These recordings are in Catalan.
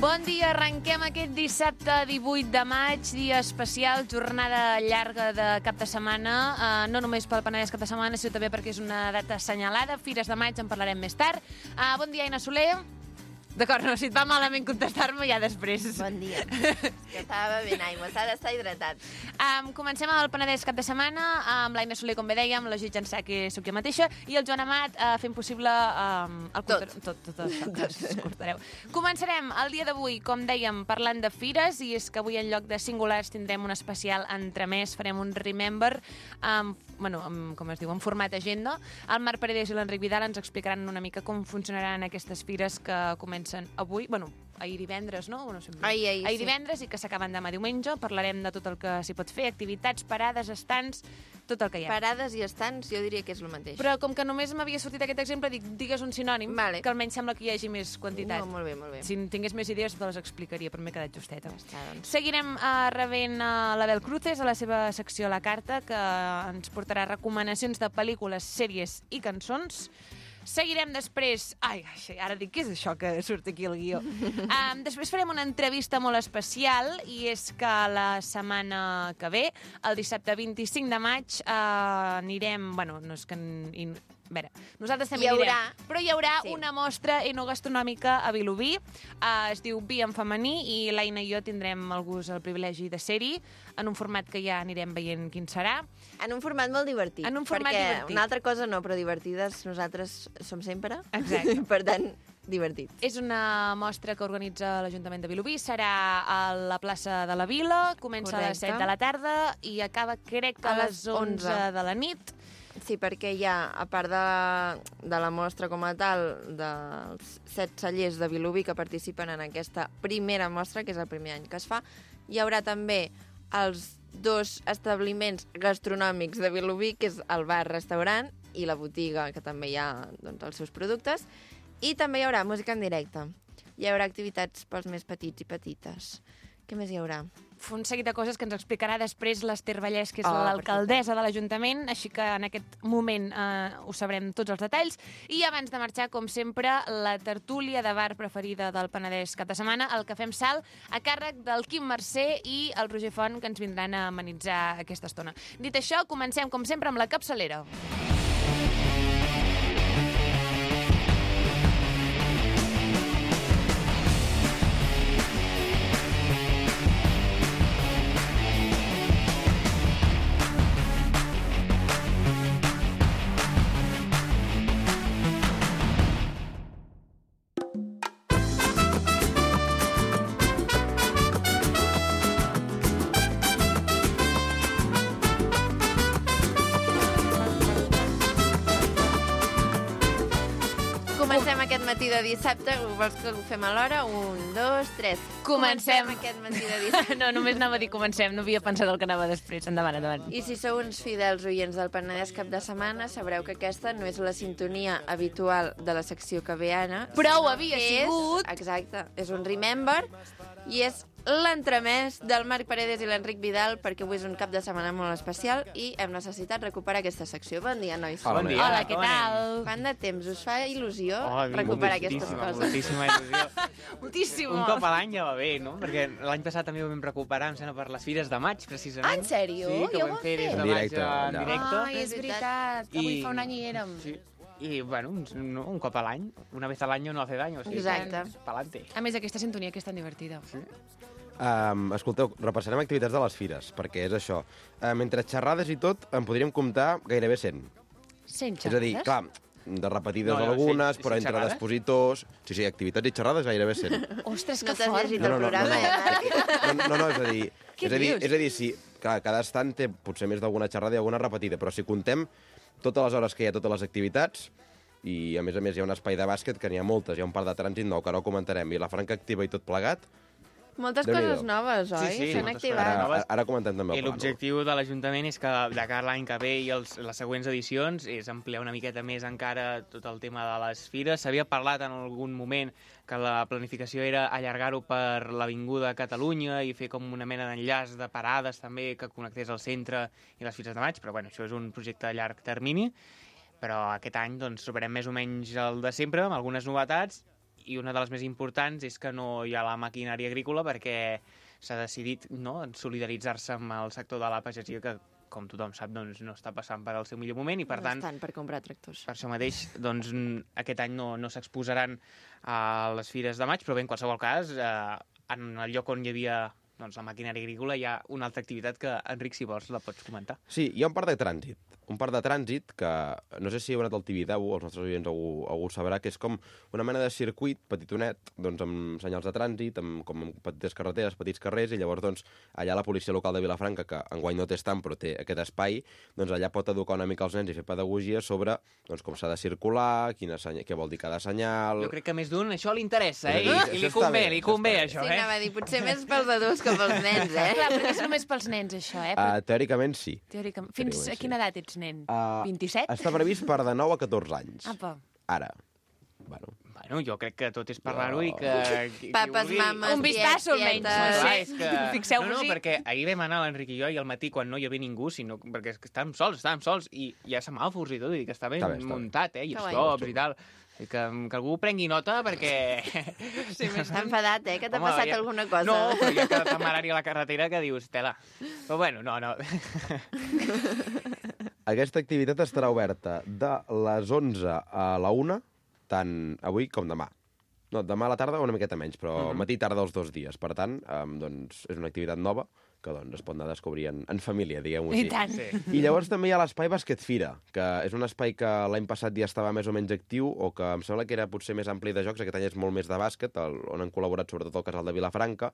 Bon dia, arrenquem aquest dissabte 18 de maig, dia especial, jornada llarga de cap de setmana, no només pel Penedès cap de setmana, sinó també perquè és una data assenyalada, Fires de maig, en parlarem més tard. Bon dia, Aina Soler. D'acord, no, si et va malament contestar-me, ja després. Bon dia. Que estava bevent aigua, s'ha d'estar hidratat. Comencem el Penedès cap de setmana, amb l'Aina Soler, com bé dèiem, la Judit Jansà, que sóc jo mateixa, i el Joan Amat fent possible... Tot. Escoltareu. Començarem el dia d'avui, com dèiem, parlant de fires, i és que avui en lloc de singulars tindrem un especial entremès, farem un Remember, com es diu, en format agenda. El Marc Paredes i l'Enric Vidal ens explicaran una mica com funcionaran aquestes fires que comencen avui, ahir divendres, no? Ahir divendres i que s'acaben demà diumenge. Parlarem de tot el que s'hi pot fer, activitats, parades, estants, tot el que hi ha. Parades i estants, jo diria que és el mateix. Però com que només m'havia sortit aquest exemple, digues un sinònim, vale, que almenys sembla que hi hagi més quantitat. No, molt bé. Si tingués més idees, te les explicaria, però m'he quedat justeta. Doncs. Seguirem rebent l'Abel Cruces a la seva secció a la carta, que ens portarà recomanacions de pel·lícules, sèries i cançons. Seguirem després... ara dic, què és això que surt aquí al guió? Després farem una entrevista molt especial, i és que la setmana que ve, el dissabte 25 de maig, anirem... no és que... A veure, nosaltres també anirem, però hi haurà una mostra enogastronòmica a Vilobí, es diu Vi en femení, i l'Aina i jo tindrem el gust, el privilegi de ser-hi, en un format que ja anirem veient quin serà. En un format molt divertit. En un format divertit. Una altra cosa no, però divertides nosaltres som sempre. Exacte. Per tant, divertit. És una mostra que organitza l'Ajuntament de Vilobí, serà a la plaça de la Vila, comença a les 7 de la tarda i acaba, crec que a les 11 de la nit. Sí, perquè hi ha, a part de la mostra com a tal, dels 7 cellers de Vilobí que participen en aquesta primera mostra, que és el primer any que es fa, hi haurà també els 2 establiments gastronòmics de Vilobí, que és el bar-restaurant i la botiga, que també hi ha els seus productes, i també hi haurà música en directe. Hi haurà activitats pels més petits i petites. Què més hi haurà? Un seguit de coses que ens explicarà després l'Ester Vallès, que és l'alcaldessa de l'Ajuntament, així que en aquest moment ho sabrem tots els detalls. I abans de marxar, com sempre, la tertúlia de bar preferida del Penedès cap de setmana, el Cafè amb Sal, a càrrec del Quim Mercè i el Roger Font, que ens vindran a amenitzar aquesta estona. Dit això, comencem, com sempre, amb la capçalera. Comencem aquest matí de dissabte. Vols que ho fem a l'hora? 1, 2, 3. Comencem aquest matí de dissabte. No, només anava a dir comencem, no havia pensat el que anava després. Endavant. I si sou uns fidels oients del Penedès cap de setmana, sabreu que aquesta no és la sintonia habitual de la secció que ve ara. Però ho havia sigut. Exacte, és un Remember, i és l'entremès del Marc Paredes i l'Enric Vidal, perquè avui és un cap de setmana molt especial i hem necessitat recuperar aquesta secció. Bon dia, nois. Bon dia. Hola, què tal? Quant de temps us fa il·lusió recuperar aquestes coses? Moltíssima il·lusió. Moltíssima. Un cop a l'any ja va bé, no? Perquè l'any passat també ho vam recuperar, em sembla, per les Fires de maig, precisament. En sèrio? Sí, que Ja ho ho vam vam fer des fer? de maig en directe. Ai, és veritat. Avui fa un any hi érem. Sí. I, bueno, un cop a l'any, una vez al año no hace daño. Sí, Exacte. Pa'lante. A més, aquesta sintonia que és tan divertida. Sí. Escolteu, repassarem activitats de les fires, perquè és això. Entre xerrades i tot, en podríem comptar gairebé 100. 100 És a dir, clar, de repetides No, algunes, sí, però entre xerrades? expositors... Sí, activitats i xerrades gairebé 100. Ostres, No que t'has fort. llegit el programa, Marc? No, és a dir... Què és dius? a dir, sí, clar, cada estant té potser més d'alguna xerrada i alguna repetida, però si contem totes les hores que hi ha totes les activitats, i a més hi ha un espai de bàsquet que n'hi ha moltes, hi ha un parc de trànsit nou que ara ho comentarem, i la franca activa i tot plegat. Moltes Déu-n'hi-do. coses noves, oi? Sí, S'han moltes activat. coses noves. Ara comentem també I el plànol. l'objectiu de l'Ajuntament és que de cara a l'any que ve i les següents edicions és ampliar una miqueta més encara tot el tema de les fires. S'havia parlat en algun moment que la planificació era allargar-ho per l'Avinguda Catalunya i fer com una mena d'enllaç de parades també que connectés el centre i les Fires de Maig, però bueno, això és un projecte a llarg termini. Però aquest any doncs, trobarem més o menys el de sempre, amb algunes novetats, i una de les més importants és que no hi ha la maquinària agrícola perquè s'ha decidit solidaritzar-se amb el sector de la pagesia que, com tothom sap, doncs, no està passant per al seu millor moment i, per tant, estan per comprar tractors. per això mateix, doncs, aquest any no s'exposaran a les fires de maig, però bé, en qualsevol cas, en el lloc on hi havia doncs, la maquinària agrícola hi ha una altra activitat que, Enric, si vols, la pots comentar. Sí, hi ha un parc de trànsit. Un parc de trànsit que, no sé si heu anat al TV10, els nostres oients algú sabrà, que és com una mena de circuit petitonet, doncs amb senyals de trànsit, com amb petites carreteres, petits carrers, i llavors doncs, allà la policia local de Vilafranca, que enguany no té estant però té aquest espai, doncs allà pot educar una mica els nens i fer pedagogia sobre doncs, com s'ha de circular, què vol dir cada senyal... Jo crec que més d'un això li interessa, I li convé, això, Sí, anava a dir, potser més pels adults que pels nens, Clar, perquè és només pels nens, això, Teòricament sí. Teòricament. Fins a quina edat ets nen? 27? Està previst per de 9 a 14 anys. Apa. Ara. Bueno, jo crec que tot és parlar-ho i que... Papes, mames, Un vistazo, almenys. Clar, No sé. Fixeu-vos-hi. No, perquè ahir vam anar l'Enric i jo i al matí quan no hi havia ningú, perquè estàvem sols i hi ha semàfors i tot, i que està ben muntat, i stops i tal. I que algú prengui nota perquè... Sí, m'està enfadat, que t'ha passat alguna cosa. No, però hi ha cada temerari a la carretera que dius, tela. Però bueno, no. Aquesta activitat estarà oberta de les 11 a la 1, tant avui com demà. No, demà a la tarda una miqueta menys, però matí i tarda els 2 dies. Per tant, doncs, és una activitat nova que doncs, es pot anar a descobrir en família, diguem-ho així. I tant. Sí. I llavors també hi ha l'espai Bàsquet Fira, que és un espai que l'any passat ja estava més o menys actiu, o que em sembla que era potser més ampli de jocs, aquest any és molt més de bàsquet, on han col·laborat sobretot el casal de Vilafranca,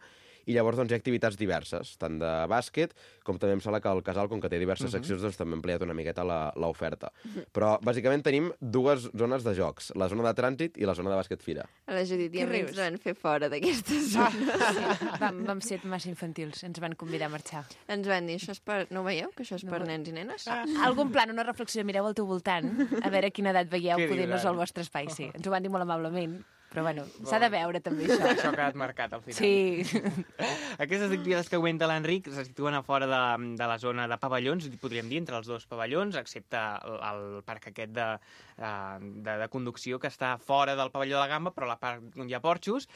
i llavors doncs, hi ha activitats diverses, tant de bàsquet, com també em sembla que el casal, com que té diverses seccions, doncs també ha ampliat una miqueta l'oferta. Però bàsicament tenim 2 zones de jocs, la zona de trànsit i la zona de Bàsquet Fira. A la Judit i a mi rius? ens van fer fora d'aquesta zona. Sí, vam ser massa infantils, ens van convidar a marxar. Ens van dir, això és per... No ho veieu, que això és per nens i nenes? Algun plan, una reflexió, mireu al teu voltant, a veure a quina edat veieu, Què poder no és diran? el vostre espai, sí. Ens ho van dir molt amablement, però bueno, s'ha de veure també això. Això ha quedat marcat al final. Sí. Aquestes activitats que comenta l'Enric se situen a fora de la zona de pavellons, podríem dir, entre els 2 pavellons, excepte el parc aquest de conducció que està fora del pavelló de la Gamba, però la part on hi ha porxos,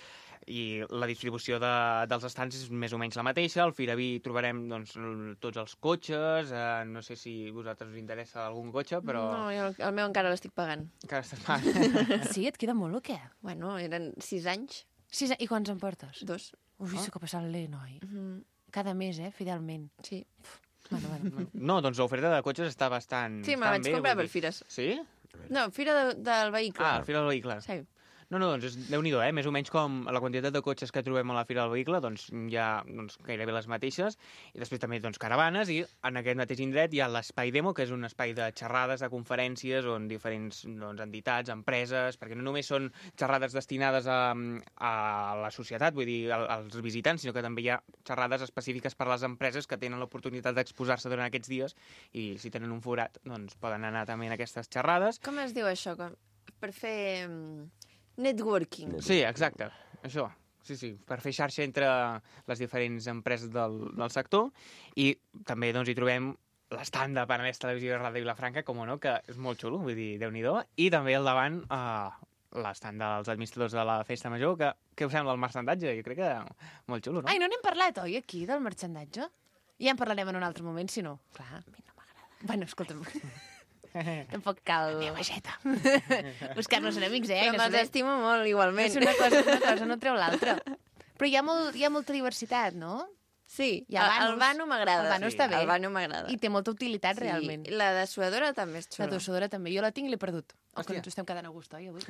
i la distribució dels estants és més o menys la mateixa. Al Firaví trobarem doncs, tots els cotxes, no sé si a vosaltres us interessa algun cotxe, però... No, jo el meu encara l'estic pagant. Encara està pagant. Sí, et queda molt o què? Bueno, eren 6 anys, 6 I quants en portes? 2. Ui, que passant-li, noi. Cada mes, fidelment. Sí. Bueno. No, doncs l'oferta de cotxes està bastant Sí, me la vaig bé, comprar vull per dir. fires. Sí? No, fira del vehicle. Ah, al Fira del Vehicle. Sí. No, doncs Déu-n'hi-do, més o menys com la quantitat de cotxes que trobem a la Fira del Vehicle, doncs hi ha gairebé les mateixes, i després també caravanes, i en aquest mateix indret hi ha l'Espai Demo, que és un espai de xerrades, de conferències, on diferents entitats, empreses, perquè no només són xerrades destinades a la societat, vull dir, als visitants, sinó que també hi ha xerrades específiques per a les empreses que tenen l'oportunitat d'exposar-se durant aquests dies, i si tenen un forat, doncs poden anar també en aquestes xerrades. Com es diu això? Per fer networking. Sí, exacte, això. Sí, per fer xarxa entre les diferents empreses del sector, i també doncs, hi trobem l'estand de Penedès Televisió i Ràdio Vilafranca, com no, que és molt xulo, vull dir, Déu-n'hi-do, i també al davant l'estand dels administradors de la Festa Major, que què us sembla el marxandatge? Jo crec que molt xulo, no? Ai, no n'hem parlat, oi, aquí, del marxandatge? Ja en parlarem en un altre moment, si no. Clar, a mi no m'agrada. Bueno, escolta'm... Tampoc cal... Buscar-nos enemics, Però me'ls estimo molt, igualment. És una cosa no treu l'altra. Però hi ha molta diversitat, no? Sí, Hi ha el vanos. vano m'agrada. El vano està bé. El vano m'agrada. I té molta utilitat, realment. La dessuadora també és La xula. dessuadora també. Jo la tinc i l'he perdut. O que Hòstia. ens ho estem quedant a gust, oi, avui?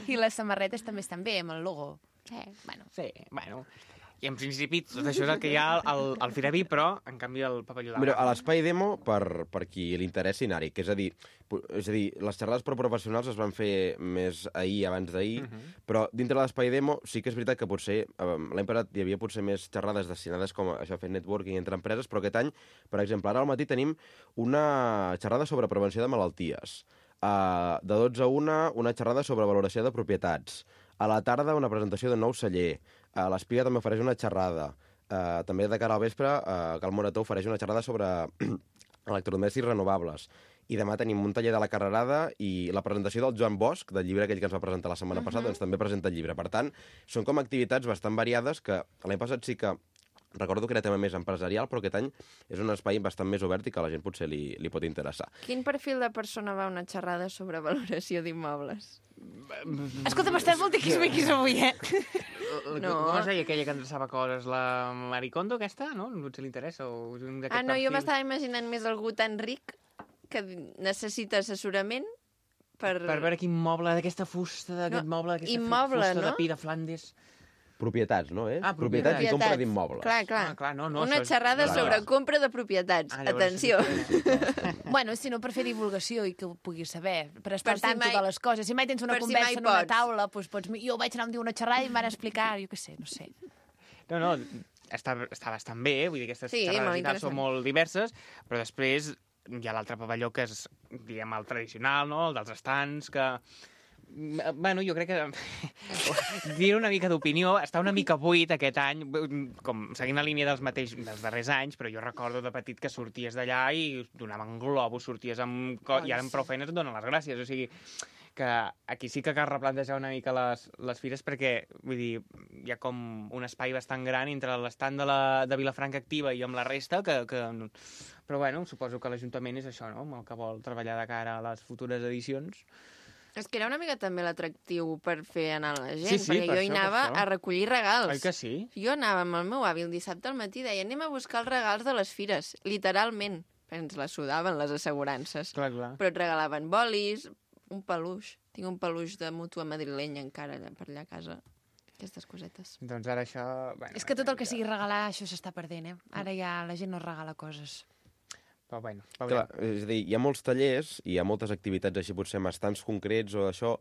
I les samarretes també estan bé, amb el logo. Sí. Bueno, Sí, bueno... I en principi tot això és el que hi ha al Firaví, però en canvi el pavelló de Mira, la a l'Espai Demo, per qui li interessi anar-hi, que és a dir, les xerrades per professionals es van fer més ahir, abans d'ahir, però dintre de l'Espai Demo sí que és veritat que potser l'any passat hi havia potser més xerrades destinades com a això, a fer networking entre empreses, però aquest any, per exemple, ara al matí tenim una xerrada sobre prevenció de malalties. De 12 a 1, una xerrada sobre valoració de propietats. A la tarda, una presentació d'un nou celler. L'Espiga també ofereix una xerrada. També de cara al vespre, Cal Morató ofereix una xerrada sobre electrodomèstics renovables. i demà tenim un taller de la Carrerada i la presentació del Joan Bosch, del llibre aquell que ens va presentar la setmana passada, doncs també presenta el llibre. Per tant, són com activitats bastant variades que l'any passat sí que recordo que era tema més empresarial, però aquest any és un espai bastant més obert i que a la gent potser li pot interessar. Quin perfil de persona va a una xerrada sobre valoració d'immobles? Escolta, m'estàs molt tiquis-miquis avui, eh? No. Com es deia aquella que endreçava coses? La Maricondo, aquesta? No? Potser li interessa. O un d'aquest No, jo perfil. m'estava imaginant més algú tan ric que necessita assessorament per... Per veure quin moble d'aquesta fusta, d'aquest moble, d'aquesta immoble, fusta no? de pi de Flandes. Propietats, no? Propietats i compra d'immobles. Clar, clar. Ah, clar, no, Una això és- xerrada Clar, sobre clar. compra de propietats. Llavors Atenció. Bueno, si no per fer divulgació i que ho puguis saber, per estar Per al si tanto mai- de les coses. Si mai tens una per si conversa mai en una pots. taula, doncs pots... Jo vaig anar un dia a una xerrada i em van explicar, jo què sé, no sé. No, està bastant bé, vull dir, aquestes Sí, molt xerrades i tal interessant. són molt diverses, però després hi ha l'altre pavelló que és, diguem, el tradicional, no?, el dels estants, que... Bueno, jo crec que dir una mica d'opinió, està una mica buit aquest any, com seguint la línia dels darrers anys, però jo recordo de petit que sorties d'allà i donaven globus, sorties amb... I ara amb prou feines et donen les gràcies, o sigui que aquí sí que cal replantejar una mica les fires perquè, vull dir, hi ha com un espai bastant gran entre l'estant de Vilafranca Activa i amb la resta que... Però bueno, suposo que l'Ajuntament és això, no?, amb el que vol treballar de cara a les futures edicions. És que era una mica també l'atractiu per fer anar la gent, Sí, sí, perquè per jo hi això, anava per això. a recollir regals. Oi que sí? Jo anava amb el meu avi el dissabte al matí i deia anem a buscar els regals de les fires, literalment. Ens la sudaven les assegurances. Clar, clar. Però et regalaven bolis, un peluix. Tinc un peluix de mútua madrilenya encara per allà a casa. Aquestes cosetes. Doncs ara això... Bueno, És que tot el que sigui regalar, això s'està perdent, eh? Ara ja la gent no regala coses. Però bueno, Clar, és a dir, hi ha molts tallers i hi ha moltes activitats així, potser amb estants concrets o això,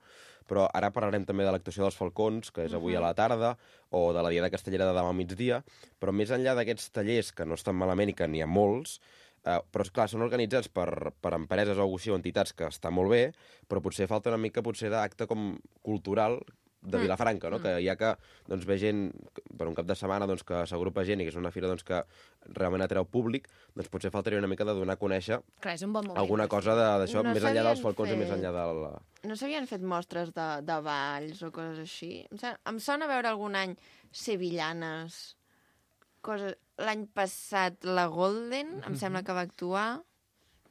però ara parlarem també de l'actuació dels Falcons, que és avui a la tarda, o de la Diada Castellera de demà al migdia, però més enllà d'aquests tallers, que no estan malament i que n'hi ha molts, però, esclar, són organitzats per empreses o entitats que està molt bé, però potser falta una mica d'acte com cultural de Vilafranca, no? Que ja que doncs, ve gent per un cap de setmana doncs, que s'agrupa gent i que és una fira doncs, que realment atreu públic, doncs potser faltaria una mica de donar a conèixer Clar, és un bon moment. alguna cosa d'això, No més enllà dels s'havien Falcons i més fet- enllà de la... No s'havien fet mostres de balls o coses així? Em sona veure algun any sevillanes, coses... L'any passat la Golden, em sembla que va actuar...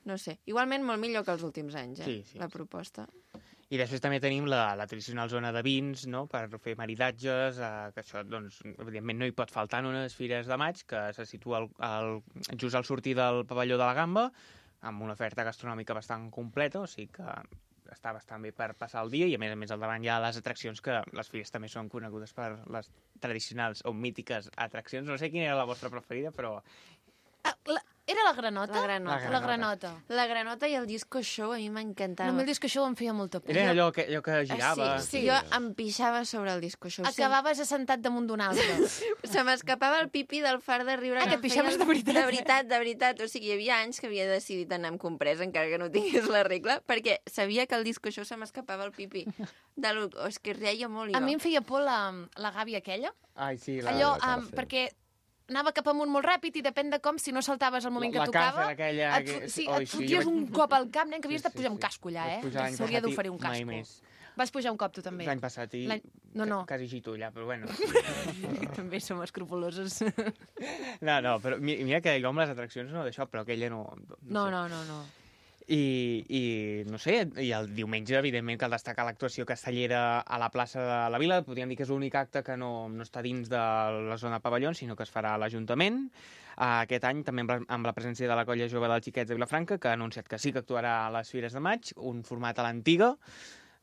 No sé, igualment molt millor que els últims anys, Sí. la proposta. I després també tenim la tradicional zona de vins, no?, per fer maridatges, que això, doncs, evidentment no hi pot faltar en unes fires de maig, que se situa just al sortir del pavelló de la Gamba, amb una oferta gastronòmica bastant completa, o sigui que està bastant bé per passar el dia, i a més al davant hi ha les atraccions, que les fires també són conegudes per les tradicionals o mítiques atraccions. No sé quina era la vostra preferida, però... Era la granota? La granota. La granota. La granota i el disco show a mi m'encantava. No, a mi el disco show em feia molta por. Era allò que girava... Sí, jo em pixava sobre el disco show. Acabaves assentat damunt d'un altre. Se m'escapava el pipi del far de riure. Ah, que que em pixaves feia- de veritat, De veritat, de veritat. O sigui, hi havia anys que havia decidit anar amb compresa, encara que no tingués la regla, perquè sabia que el disco show se m'escapava el pipi. És que reia molt, jo. A mi em feia por la gàbia aquella. Ai, sí, Allò, la Càrcer. perquè anava cap amunt molt ràpid i depèn de com, si no saltaves al moment que La tocava, Càrcer aquella et, que- sí, Oi, et sí, foties jo vaig- un cop al cap, nen, que havies de Sí, pujar sí, un casco allà, vaig eh? pujar l'any S'hauria passat i d'oferir un mai casco. més. Vas pujar un cop, tu també? L'any passat i... No. Quasi gito allà, però bueno. També som escrupoloses. No, però mira que jo amb les atraccions no d'això, però aquella no No, sé. no. I no sé, i el diumenge, evidentment, cal destacar l'actuació castellera a la plaça de la Vila. Podríem dir que és l'únic acte que no està dins de la zona pavellons, sinó que es farà a l'Ajuntament. Aquest any també amb la presència de la Colla Jove dels Xiquets de Vilafranca, que ha anunciat que sí que actuarà a les Fires de Maig, un format a l'antiga.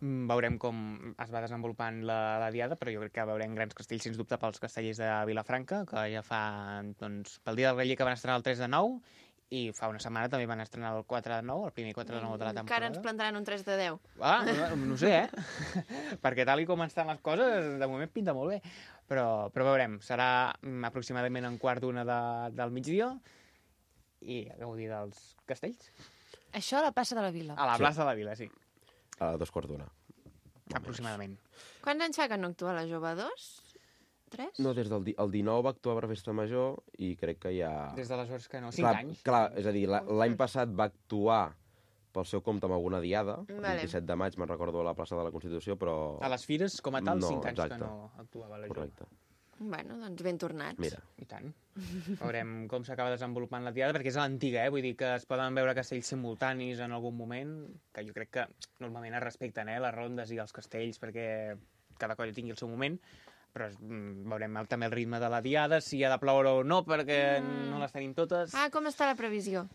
Veurem com es va desenvolupant la diada, però jo crec que veurem grans castells, sens dubte, pels castellers de Vilafranca, que ja fa, doncs, pel dia del Reller que van estrenar el 3 de 9, i fa una setmana també van estrenar el 4 de 9, el primer 4 de 9 de la temporada. Encara ens plantaran un 3 de 10. Ah, no sé, perquè tal i com estan les coses, de moment pinta molt bé. Però veurem, serà aproximadament en quart d'una del migdia i a gaudir dels castells. Això a la plaça de la Vila. A la plaça de la Vila, sí, A 2:15. aproximadament. Quants anys fa que no actua la Jove 2? 3? No, des del el 19 va actuar per Festa Major i crec que ja... Des d'aleshores que no, 5 Clar, anys. Clar, és a dir, l'any passat va actuar pel seu compte amb alguna diada, el Vale. 27 de maig, me'n recordo, a la plaça de la Constitució, però... A les fires, com a tal, No, 5 anys exacte. que no actuava la Jove. Correcte. Bueno, doncs ben tornats. Mira, I tant. Veurem com s'acaba desenvolupant la diada, perquè és a l'antiga, vull dir que es poden veure castells simultanis en algun moment, que jo crec que normalment es respecten, les rondes i els castells, perquè cada colla tingui el seu moment, però veurem també el ritme de la diada, si ha de ploure o no, perquè no les tenim totes. Ah, com està la previsió?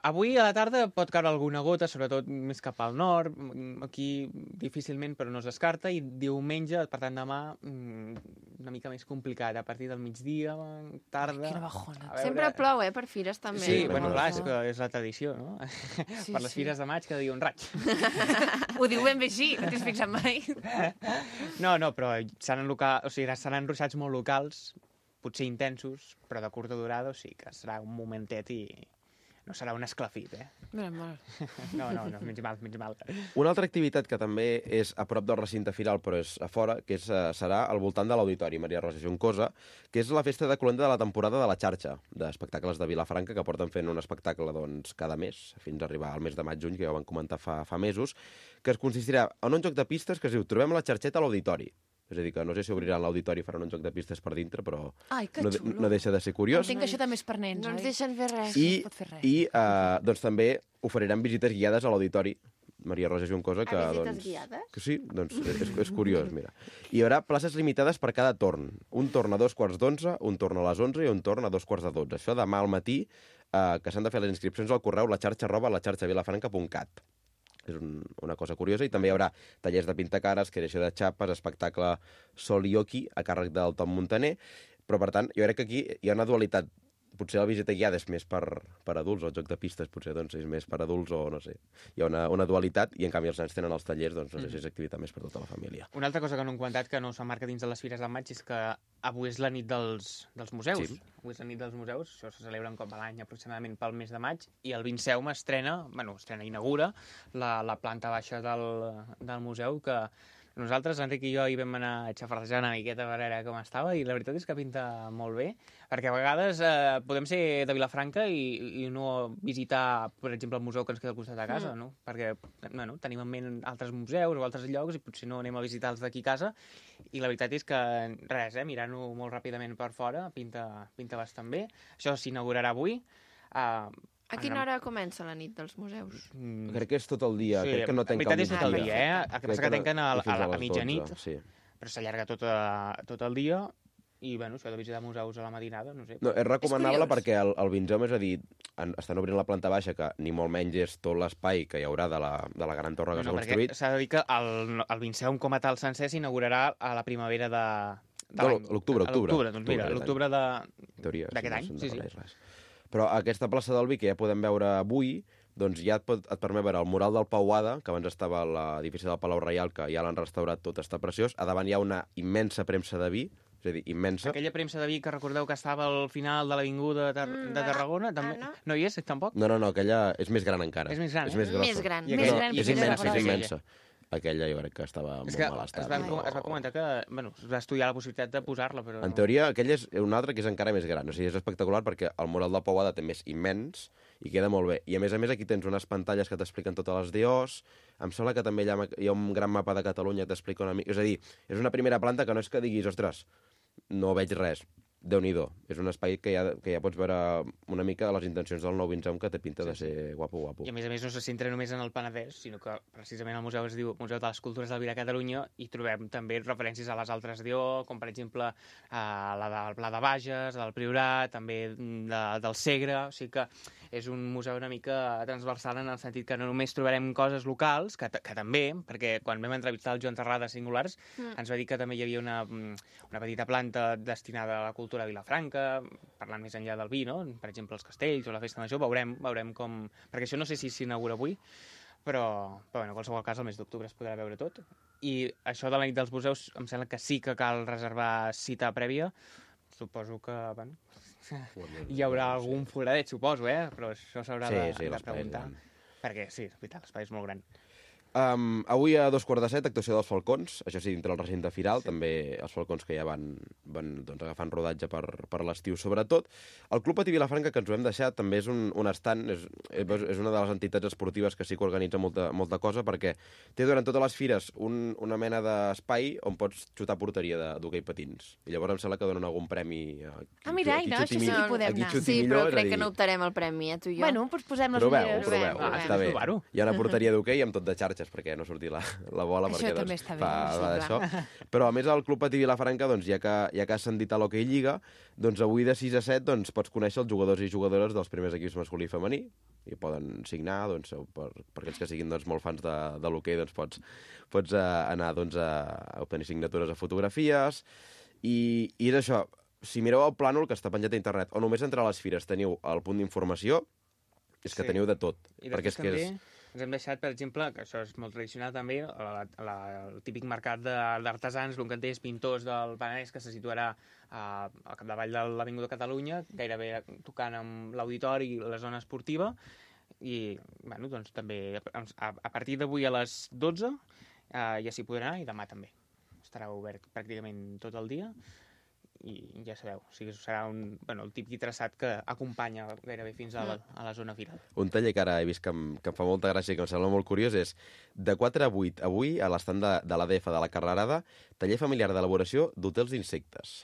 Avui a la tarda pot caure alguna gota, sobretot més cap al nord, aquí difícilment, però no es descarta, i diumenge, per tant demà, una mica més complicat, a partir del migdia, tarda... Quina bajona. A veure- Sempre plou, per fires també. Sí, Sí, bueno, bueno, clar, sí. és que és la tradició, no? Sí, Per les fires de maig cada dia un raig. Ho diu ben bé així, no t'has fixat mai? No, però seran ruixats molt locals, potser intensos, però de curta durada, o sigui que serà un momentet i no serà un esclafit, Mira, No, menys mal. una altra activitat que també és a prop del recinte firal, però és a fora, que serà al voltant de l'Auditori Maria Rosa Juncosa, que és la festa de cloenda de la temporada de la xarxa d'espectacles de Vilafranca, que porten fent un espectacle doncs, cada mes, fins a arribar al mes de maig-juny, que ja ho van comentar fa mesos, que es consistirà en un joc de pistes que es diu Trobem la xarxeta a l'Auditori. És a dir, que no sé si obriran l'auditori i faran un joc de pistes per dintre, però Ai, que xulo. no deixa de ser curiós. Entenc que això també és per nens, No ens oi? deixen fer res. I, es pot fer res. doncs també oferirem visites guiades a l'Auditori Maria Rosa Juncosa. Que, visites doncs, guiades? Que sí, doncs és curiós, mira. Hi haurà places limitades per cada torn. Un torn a 2:45, un torn a les 11 i un torn a 2:45. Això demà al matí, que s'han de fer les inscripcions al correu latxarxa@latxarxavilafranca.cat. És una cosa curiosa. I també hi haurà tallers de pintacares, creació de xapes, espectacle Sol i Oki, a càrrec del Tom Montaner. Però, per tant, jo crec que aquí hi ha una dualitat. Potser la visita guiada és més per adults, o el joc de pistes potser doncs, és més per adults, o no sé. Hi ha una dualitat, i en canvi els nens tenen els tallers, doncs no sé si és activitat més per tota la família. Una altra cosa que no hem comentat, que no s'emmarca dins de les fires del maig, és que avui és la nit dels museus. Sí. Avui és la nit dels museus, això se celebra un cop a l'any aproximadament pel mes de maig, i el 27 inaugura la planta baixa del museu, que nosaltres, Enric i jo, hi vam anar a xafardejar una miqueta per veure com estava, i la veritat és que pinta molt bé, perquè a vegades podem ser de Vilafranca i no visitar, per exemple, el museu que ens queda al costat de casa, no? Perquè tenim en ment altres museus o altres llocs i potser no anem a visitar els d'aquí a casa, i la veritat és que res, mirant-ho molt ràpidament per fora, pinta bastant bé. Això s'inaugurarà avui. A quina hora comença la nit dels museus? Crec que és tot el dia. Crec que no en tanca veritat és tot el migdia. dia, El que passa que tanquen a les mitjanit, 12, sí. però s'allarga tot el dia, i, això de visitar museus a la matinada, no sé. No, és recomanable És curiós. perquè el 20, és a dir, estan obrint la planta baixa, que ni molt menys és tot l'espai que hi haurà de la gran torre que s'ha perquè construït. s'ha de dir que el 27 com a tal sencer s'inaugurarà a la primavera de l'any. L'octubre. Doncs mira, l'octubre En teoria, d'aquest any, no sí. s'endarrereix res. Però aquesta plaça del Vi, que ja podem veure avui, doncs ja et permet veure el mural del Pauada, que abans estava a l'edifici del Palau Reial, que ja l'han restaurat tot, està preciós. A davant hi ha una immensa premsa de vi, és a dir, immensa. Aquella premsa de vi que recordeu que estava al final de l'avinguda de Tarragona, també... no. No hi és, tampoc? No, aquella és més gran encara. És més gran, És més grossa. Més gran. I Més aquella- gran, i És més aquella- immensa, és grossa. immensa. Aquella jo crec que estava És molt que mal es estat. va comentar que es va estudiar la possibilitat de posar-la, però... En teoria, aquella és una altra que és encara més gran. O sigui, és espectacular perquè el mural del Pauada també és immens i queda molt bé. I a més, aquí tens unes pantalles que t'expliquen totes les DOs. Em sembla que també hi ha un gran mapa de Catalunya que t'explica una mica... És a dir, és una primera planta que no és que diguis, ostres, no veig res. Déu-n'hi-do. És un espai que ja pots veure una mica de les intencions del nou Vinzem, que té pinta de ser guapo. I a més no se centra només en el Penedès, sinó que precisament el museu es diu Museu de les Cultures del Vi de Catalunya, i trobem també referències a les altres DO, com per exemple la del Pla de Bages, del Priorat, també del Segre, o sigui que és un museu una mica transversal en el sentit que no només trobarem coses locals, que també, perquè quan vam entrevistar el Joan Terrada Singulars, ens va dir que també hi havia una petita planta destinada a la cultura de Vilafranca, parlant més enllà del vi, no? Per exemple, els castells o la festa major, veurem com... Perquè això no sé si s'inaugura avui, però en qualsevol cas, el mes d'octubre es podrà veure tot. I això de la nit dels museus, em sembla que sí que cal reservar cita prèvia. Suposo que, bueno, hi haurà algun foradet, suposo, però això s'haurà de preguntar. Perquè, sí, és veritat, l'espai és molt gran. Avui a 2:15, actuació dels Falcons, això sí, dintre el recinte firal, també els Falcons que ja van doncs, agafant rodatge per l'estiu sobretot. El Club Patí Vilafranca, que ens ho hem deixat, també és un estant, és una de les entitats esportives que sí que organitza molta cosa, perquè té durant totes les fires una mena d'espai on pots xutar porteria d'hoquei patins. I llavors em sembla que donen algun premi a mira, no, això sí que podem anar. Sí, però crec que no optarem al premi, tu i jo. Bueno, doncs posem les ulleres. Proveu, està bé. Hi ha una porteria d'hoquei amb tot de xarxes, perquè no surti la bola. Això perquè, també doncs, està bé. d'això. Però a més el Club Patí Vilafranca, doncs, ja que has sentit a l'Hockey Lliga, doncs avui de 6 a 7 doncs, pots conèixer els jugadors i jugadores dels primers equips masculí i femení i poden signar, doncs, per aquells que siguin doncs, molt fans de l'hoquei, doncs, pots anar doncs, a obtenir signatures a fotografies i és això. Si mireu el plànol que està penjat a internet o només entre les fires teniu el punt d'informació, és que teniu de tot. I perquè també ens hem deixat, per exemple, que això és molt tradicional també, el típic mercat d'artesans, l'Uncanters, pintors del Penedès, que se situarà al capdavall de l'Avinguda Catalunya, gairebé tocant amb l'auditori i la zona esportiva, i bueno, doncs, també a partir d'avui a les 12 ja s'hi podrà anar, i demà també. Estarà obert pràcticament tot el dia, i ja sabeu, o sigui, serà el típic traçat que acompanya gairebé fins a la zona firal. Un taller que ara he vist que em fa molta gràcia i que em sembla molt curiós és de 4 a 8 avui a l'estand de l'ADF de la Carrerada, taller familiar d'elaboració d'hotels d'insectes.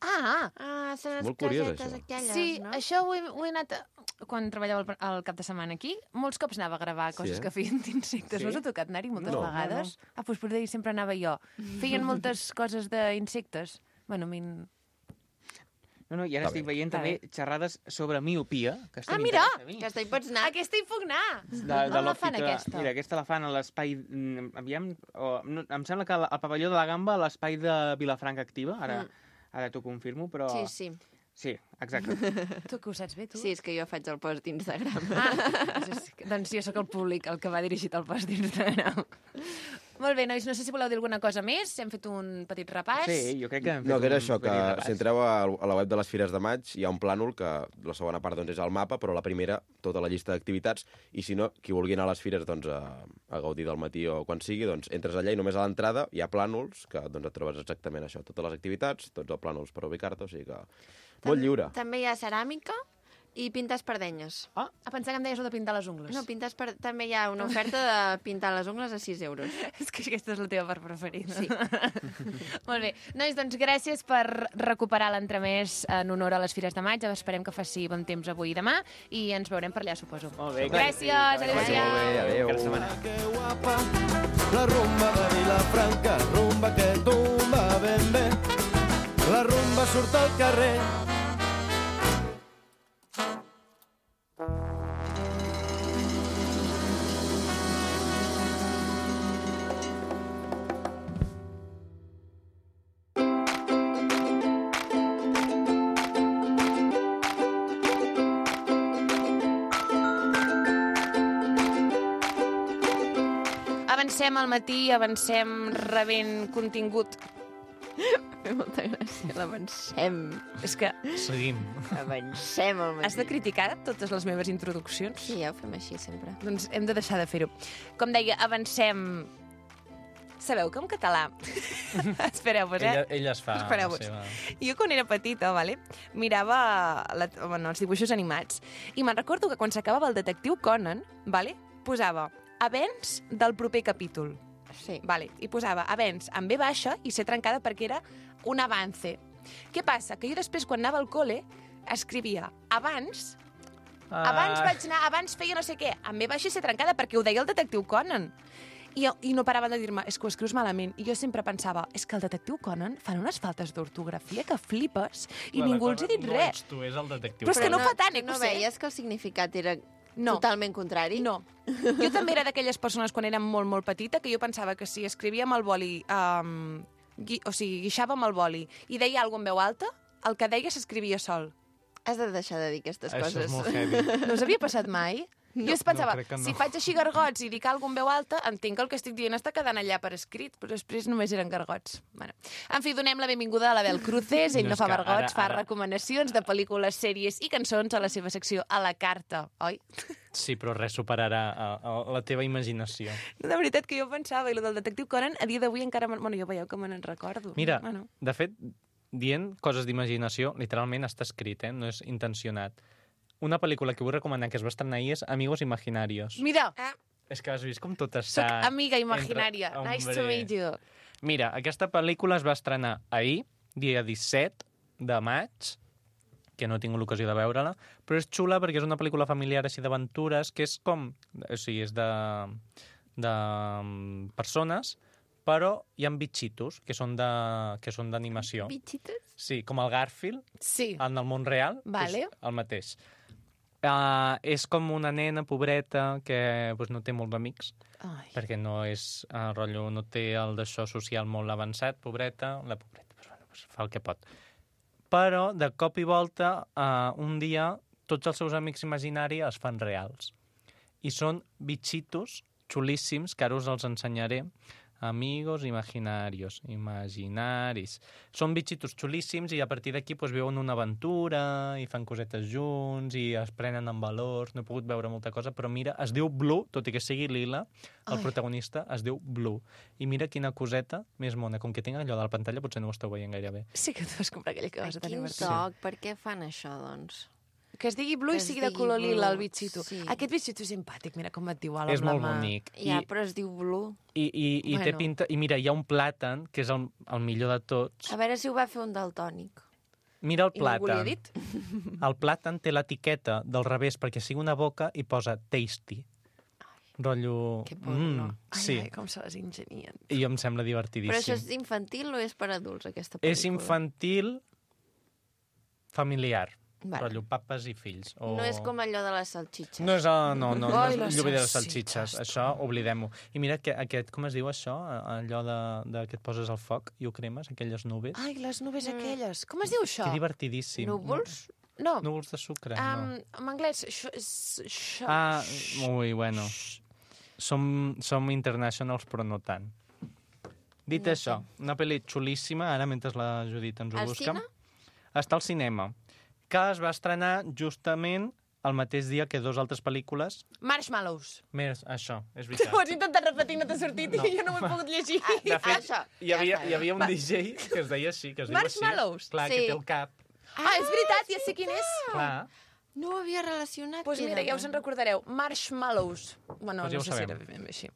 Són les molt curiós, casetes això. aquelles, Sí, no? això ho he anat... Quan treballava el cap de setmana aquí, molts cops anava a gravar coses que feien d'insectes. No us ha tocat anar-hi moltes vegades? No. Doncs per ahir sempre anava jo. Feien moltes coses d'insectes. Bueno, No, i ara estic veient també xerrades sobre miopia, que està mira! Aquesta hi pots anar. Aquesta hi puc anar! de la fan, aquesta? Mira, aquesta la fan a l'espai... Aviam, em sembla que al pavelló de la Gamba, a l'espai de Vilafranca Activa, ara t'ho confirmo, però... Sí. Sí, exacte. Tu que ho saps bé, tu? Sí, és que jo faig el post d'Instagram. Doncs jo sóc el públic, el que va dirigit al post d'Instagram. Molt bé, nois, no sé si voleu dir alguna cosa més. Hem fet un petit repàs. Sí, jo crec que hem fet No, que era això, un que petit repàs. si entreu a la web de les Fires de Maig hi ha un plànol que la segona part doncs, és el mapa, però la primera, tota la llista d'activitats, i si no, qui vulgui anar a les fires doncs, a gaudir del matí o quan sigui, doncs entres allà i només a l'entrada hi ha plànols que doncs, et trobes exactament això, totes les activitats, tots els plànols per ubicar-te, o sigui que molt lliure. També hi ha ceràmica i pintar espardenyes. Pensar que em deies de pintar les ungles. No, també hi ha una oferta de pintar les ungles a 6 euros. És que aquesta és la teva part preferida. Sí. Molt bé. Nois, doncs gràcies per recuperar l'entremès en honor a les Fires de Maig. Esperem que faci bon temps avui i demà i ens veurem per allà, suposo. Molt bé. Gràcies, adéu-siau. Molt bé, adéu. Cada setmana. Que guapa, la rumba de Vilafranca, rumba que tumba ben bé. La rumba surt al carrer. Avancem al matí, avancem rebent contingut. Fa molta gràcia, l'avancem. És que Seguim. Avancem al matí. has de criticar totes les meves introduccions? Sí, ja ho fem així sempre. Doncs hem de deixar de fer-ho. Com deia, avancem... Sabeu que en català... Espereu-vos, Ella es fa la Espereu-vos. seva... Jo quan era petita, mirava els dibuixos animats i me'n recordo que quan s'acabava el detectiu Conan, posava avenç del proper capítol. Sí. I posava avenç amb B baixa i C trencada perquè era un avance. Què passa? Que jo després, quan anava al col·le, escrivia abans vaig anar, abans feia no sé què, amb B baixa i C trencada perquè ho deia el detectiu Conan. I no paraven de dir-me, és que ho escrius malament. I jo sempre pensava, és que el detectiu Conan fan unes faltes d'ortografia que flipes i ningú els ha dit no res. ets tu, és el detectiu. Però és que no fa tant, No ho sé. veies que el significat era No. totalment contrari? No. Jo també era d'aquelles persones, quan era molt, molt petita, que jo pensava que si escrivia amb el boli, guixava amb el boli i deia alguna cosa en veu alta, el que deia s'escrivia sol. Has de deixar de dir aquestes Això coses. és molt heavy. No us havia passat mai? Jo es pensava, crec que no. si faig així gargots i dic alguna en veu alta, entenc que el que estic dient està quedant allà per escrit, però després només eren gargots. Bueno. En fi, donem la benvinguda a l'Abel Cruces. Ell No, no és fa que vergots, fa ara- recomanacions de pel·lícules, sèries i cançons a la seva secció a la carta, oi? Sí, però res superarà la teva imaginació. De veritat que jo pensava, i el del detectiu Conan, a dia d'avui encara... Bueno, jo veieu que me n'en recordo. Mira, Bueno. de fet, dient coses d'imaginació, literalment està escrit, no és intencionat. Una pel·lícula que vull recomanar que es va estrenar ahir és Amigos Imaginarios. Mira, És que has vist com tot soc està... amiga imaginària. Entre- Nice to Hombre. meet you. Mira, aquesta pel·lícula es va estrenar ahir, dia 17 de maig, que no he tingut l'ocasió de veure-la, però és xula perquè és una pel·lícula familiar així d'aventures, que és com... O sigui, és de persones, però hi ha bitxitos que són d'animació. Bitxitos? Sí, com el Garfield, Sí. en el món real, Vale. és el mateix. És com una nena pobreta que pues, no té molts amics, Ai. perquè no és rotllo, no té el d'això social molt avançat, pobreta, la pobreta pues, bueno, pues, fa el que pot. Però, de cop i volta, un dia, tots els seus amics imaginaris es fan reals. I són bitxitos xulíssims, que ara us els ensenyaré. Amigos imaginarios, imaginaris. Són bitxitos xulíssims i a partir d'aquí pues, viuen una aventura i fan cosetes junts i es prenen en valors. No he pogut veure molta cosa, però mira, es diu Blue, tot i que sigui lila, el protagonista es diu Blue. I mira quina coseta més mona. Com que tinc allò de la pantalla, potser no ho esteu veient gaire bé. Sí que tu vas comprar aquella cosa tan Quin divertida. toc, per què fan això, doncs? Que es digui Blue i Que es sigui de digui color lila, el Blue, bitxito. sí. Aquest bitxito és simpàtic, mira com et diu ala És amb la molt mà. bonic. Ja, però es diu Blue. I té Bueno. pinta... I mira, hi ha un plàtan, que és el millor de tots. A veure si ho va fer un daltònic. Mira el I no ho volia plàtan. dit? El plàtan té l'etiqueta del revés perquè sigui una boca i posa tasty. Rotllo... Que porno. Ai, sí, ai, com se les ingenien. i em sembla divertidíssim. Però això és infantil o és per adults, aquesta pel·lícula? És infantil familiar. Vale. Rotllo papes i fills. O... No és com allò de les salxitxes. No és, no Ai, és les lluvia de les salsitxes, salsitxes. Això, oblidem-ho. I mira, aquest, com es diu això? Allò de que et poses al foc i ho cremes, aquelles nubes. Ai, les nubes aquelles. Com es diu això? Que divertidíssim. Núvols? No, Núvols de sucre, no. en anglès, això... Ah, ui, bueno. Som internationals, però no tant. Dit No això, una pel·li xulíssima, ara mentre la Judit ens ho Al busca. cine? Està al cinema, que es va estrenar justament el mateix dia que dues altres pel·lícules. Marshmallows. Més, això, és veritat. Ho has intentat repetir, no t'ha sortit i jo no ho he pogut llegir. De fet, Això, hi havia un DJ que es deia així, que es diu així. Marshmallows? Clar, Sí. que té el cap. Ah, és veritat, ja sé quin és. Clar. No ho havia relacionat. Doncs mira, ja us en recordareu. Marshmallows. Bueno, Doncs ja no ho sé si sabem. era ben bé així.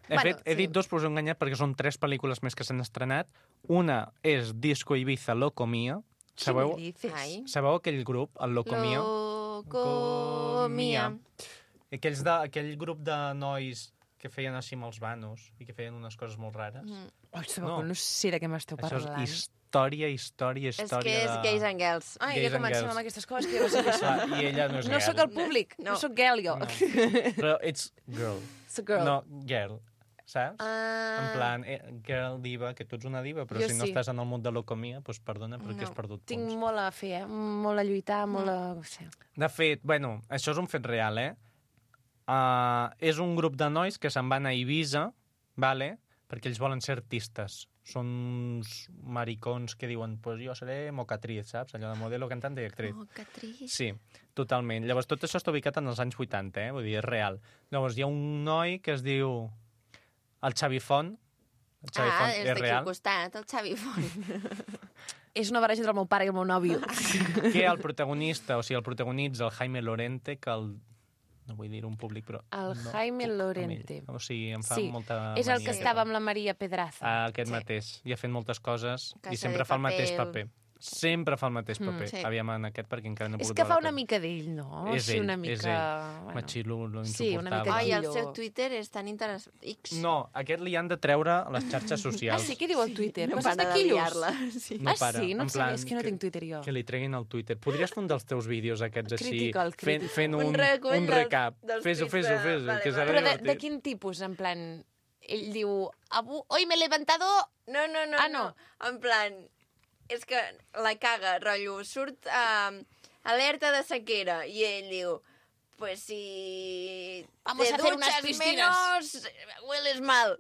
De Bueno, fet, he sí. dit dos, però us he enganyat perquè són 3 pel·lícules més que s'han estrenat. Una és Disco Ibiza Loco Mia. Sabeu, Què dices? Ai. sabeu aquell grup, el Loco Mia? Locomia. Aquell grup de nois que feien així amb els vanos i que feien unes coses molt rares. Ai, sabeu, no sé de què m'esteu Això parlant. és història És que és Gays and Girls. Ai, Gays ja and comencem Girls. amb aquestes coses que jo no sé què són. Clar, I ella no és No girl. sóc el públic, no sóc girl, jo. Però ets girl. Soc girl. No, girl. Saps? Ah. En plan, girl diva, que tu ets una diva, però Jo si no sí. estàs en el món de l'ocomia, doncs perdona, perquè has perdut Tinc punts. molt a fer, molt a lluitar, molt a... No sé. De fet, bueno, això és un fet real, és un grup de nois que se'n van a Ibiza, vale? Perquè ells volen ser artistes. Són uns maricons que diuen, pues jo seré mocatriz, saps? Allò de modelo, cantante i actriz. Oh, que trist. Sí, totalment. Llavors, tot això està ubicat en els anys 80, vull dir, és real. Llavors, hi ha un noi que es diu el Xavi Font. El Xavi Font és és d'aquí al real. costat, el Xavi Font. És una barreja entre el meu pare i el meu nòvio. Que el protagonista, o sigui, el protagonitza el Jaime Lorente, que el... No vull dir un públic, però... El no Jaime puc amb Lorente. ell. O sigui, em fa Sí, molta és el mania que aquest estava home. amb la Maria Pedraza. Aquest Sí. mateix. I ha fet moltes coses Casa i sempre de fa el mateix Papel. paper. Sempre fa el mateix paper. sí. Aviam en aquest, perquè encara no he És pogut que veure fa una tot. mica d'ell, no? És Sí, ell, una és mica... ell. Machilulo, Sí, una mica insuportable. Ai, el Quillo. seu Twitter és tan interessant. X. No, aquest li han de treure a les xarxes Ah, socials. sí? Què diu el Twitter? No Coses para de de quillos? liar-la. Sí. No Ah, para, sí? No en et sabia, plan és que no que- tinc Twitter jo. Que li treguin el Twitter. Podries fer un dels teus vídeos aquests així, Critical, critical. fent Un un recull recap. dels Fes-ho, tuits fes-ho, de- fes-ho, vale, que vale. serà Però de divertit. quin tipus? En plan, ell diu, hoy me he levantado... No, Ah, no. En plan, és que la caga, rotllo, surt alerta de sequera i ell diu, Pues si Vamos te a hacer unas duchas piscinas. menos, hueles mal.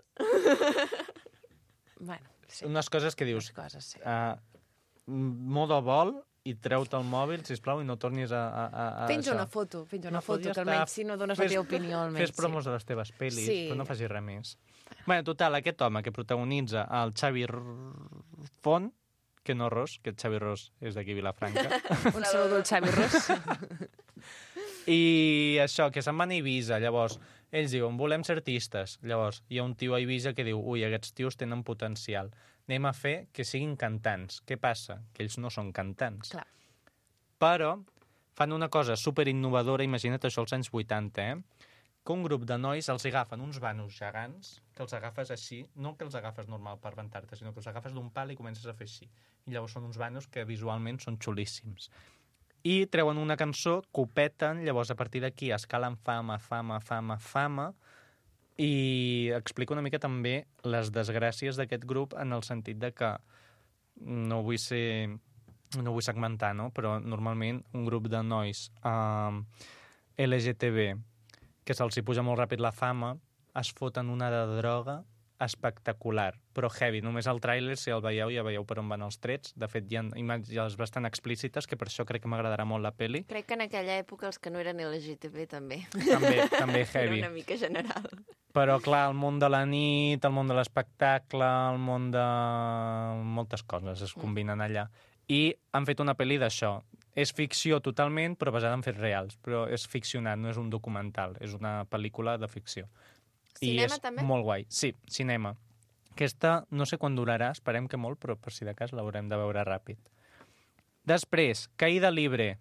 Bueno, sí. Unes coses que dius, Les coses, sí. modo vol i treu-te el mòbil, sisplau, i no tornis a Penja això. una foto, Una foto, ja que està. almenys si no dones la teva opinió, almenys. Fes promos de les teves pel·lis, Sí. però no facis res més. Bé, total, aquest home que protagonitza el Xavi Font, que no Ros, que el Xavi Ros és d'aquí Vilafranca, Un saludo al Xavi Ros. i això, que se'n van a Eivissa, llavors, ells diuen, volem ser artistes. Llavors, hi ha un tio a Eivissa que diu, ui, aquests tios tenen potencial. Anem a fer que siguin cantants. Què passa? Que ells no són cantants. Clar. Però fan una cosa super innovadora, imagina't això als anys 80, que un grup de nois els agafen uns vanos gegants, que els agafes així, no que els agafes normal per rentar-te, sinó que els agafes d'un pal i comences a fer així. I llavors són uns vanos que visualment són xulíssims. I treuen una cançó, que ho peten, llavors a partir d'aquí escalen fama, i explica una mica també les desgràcies d'aquest grup en el sentit de que no vull segmentar, no? Però normalment un grup de nois LGTB que se'ls hi puja molt ràpid la fama es foten una de droga espectacular, però heavy. Només el tràiler, si el veieu, ja veieu per on van els trets. De fet, hi ha imatges bastant explícites, que per això crec que m'agradarà molt la peli. Crec que en aquella època els que no eren LGTB també. També heavy. Era una mica general. Però, clar, el món de la nit, el món de l'espectacle, el món de moltes coses es combinen allà. I han fet una pel·li d'això. És ficció totalment, però basada en fets reals. Però és ficcionat, no és un documental. És una pel·lícula de ficció. Cinema, I és també? molt guai. Sí, cinema. Aquesta no sé quan durarà, esperem que molt, però per si de cas l'haurem de veure ràpid. Després, Caïda Libre,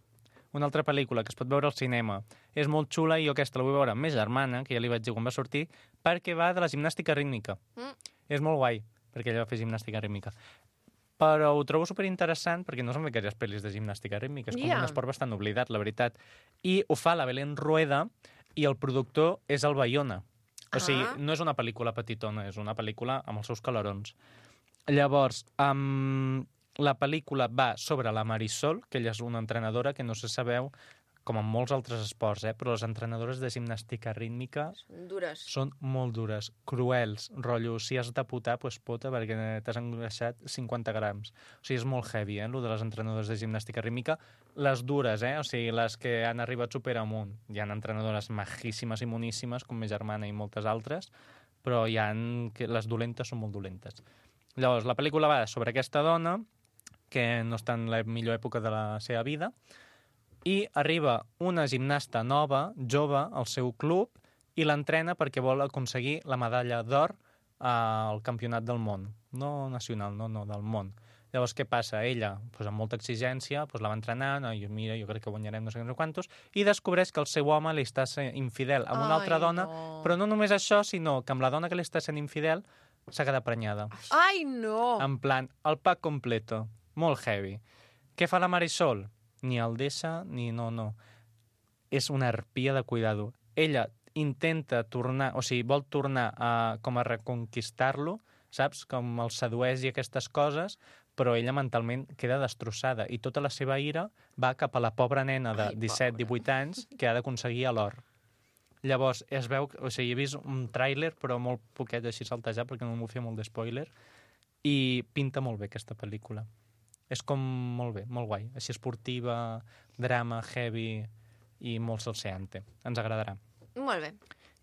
una altra pel·lícula que es pot veure al cinema. És molt xula i jo aquesta la vull veure amb ma germana, que ja li vaig dir quan va sortir, perquè va de la gimnàstica rítmica. És molt guai, perquè ella va fer gimnàstica rítmica. Però ho trobo superinteressant perquè no s'han fet gaires pel·lis de gimnàstica rítmica. És com un esport bastant oblidat, la veritat. I ho fa la Belén Rueda i el productor és el Bayona. O sigui, no és una pel·lícula petitona, és una pel·lícula amb els seus calarons. Llavors, la pel·lícula va sobre la Marisol, que ella és una entrenadora que no sé si sabeu, com en molts altres esports, però les entrenadores de gimnàstica rítmica Dures. són molt dures, cruels, rotllo, si has de putar, doncs pota, perquè t'has engreixat 50 grams. O sigui, és molt heavy, lo de les entrenadores de gimnàstica rítmica. Les dures, o sigui, les que han arribat super amunt. Hi ha entrenadores majíssimes i moníssimes, com ma germana i moltes altres, però les dolentes són molt dolentes. Llavors, la pel·lícula va sobre aquesta dona, que no està en la millor època de la seva vida, i arriba una gimnasta nova, jove, al seu club i l'entrena perquè vol aconseguir la medalla d'or al campionat del món. No nacional, no, del món. Llavors, què passa? Ella, amb molta exigència, la va entrenant, i mira, jo crec que guanyarem no sé quantos, i descobreix que el seu home li està sent infidel amb una altra dona, però no només això, sinó que amb la dona que li està sent infidel s'ha quedat prenyada. Ai, no! En plan, el pack completo. Molt heavy. Què fa la Marisol? Ni el deixa, ni no. És una arpia de cuidado. Ella intenta tornar, o sigui, vol tornar com a reconquistar-lo, saps? Com el sedueix i aquestes coses, però ella mentalment queda destrossada i tota la seva ira va cap a la pobra nena de 17-18 anys que ha d'aconseguir l'or. Llavors, es veu, o sigui, he vist un tràiler, però molt poquet així saltejar perquè no m'ho feia molt d'espoiler, i pinta molt bé aquesta pel·lícula. És com molt bé, molt guai. Així esportiva, drama, heavy i molt salseante. Ens agradarà. Molt bé.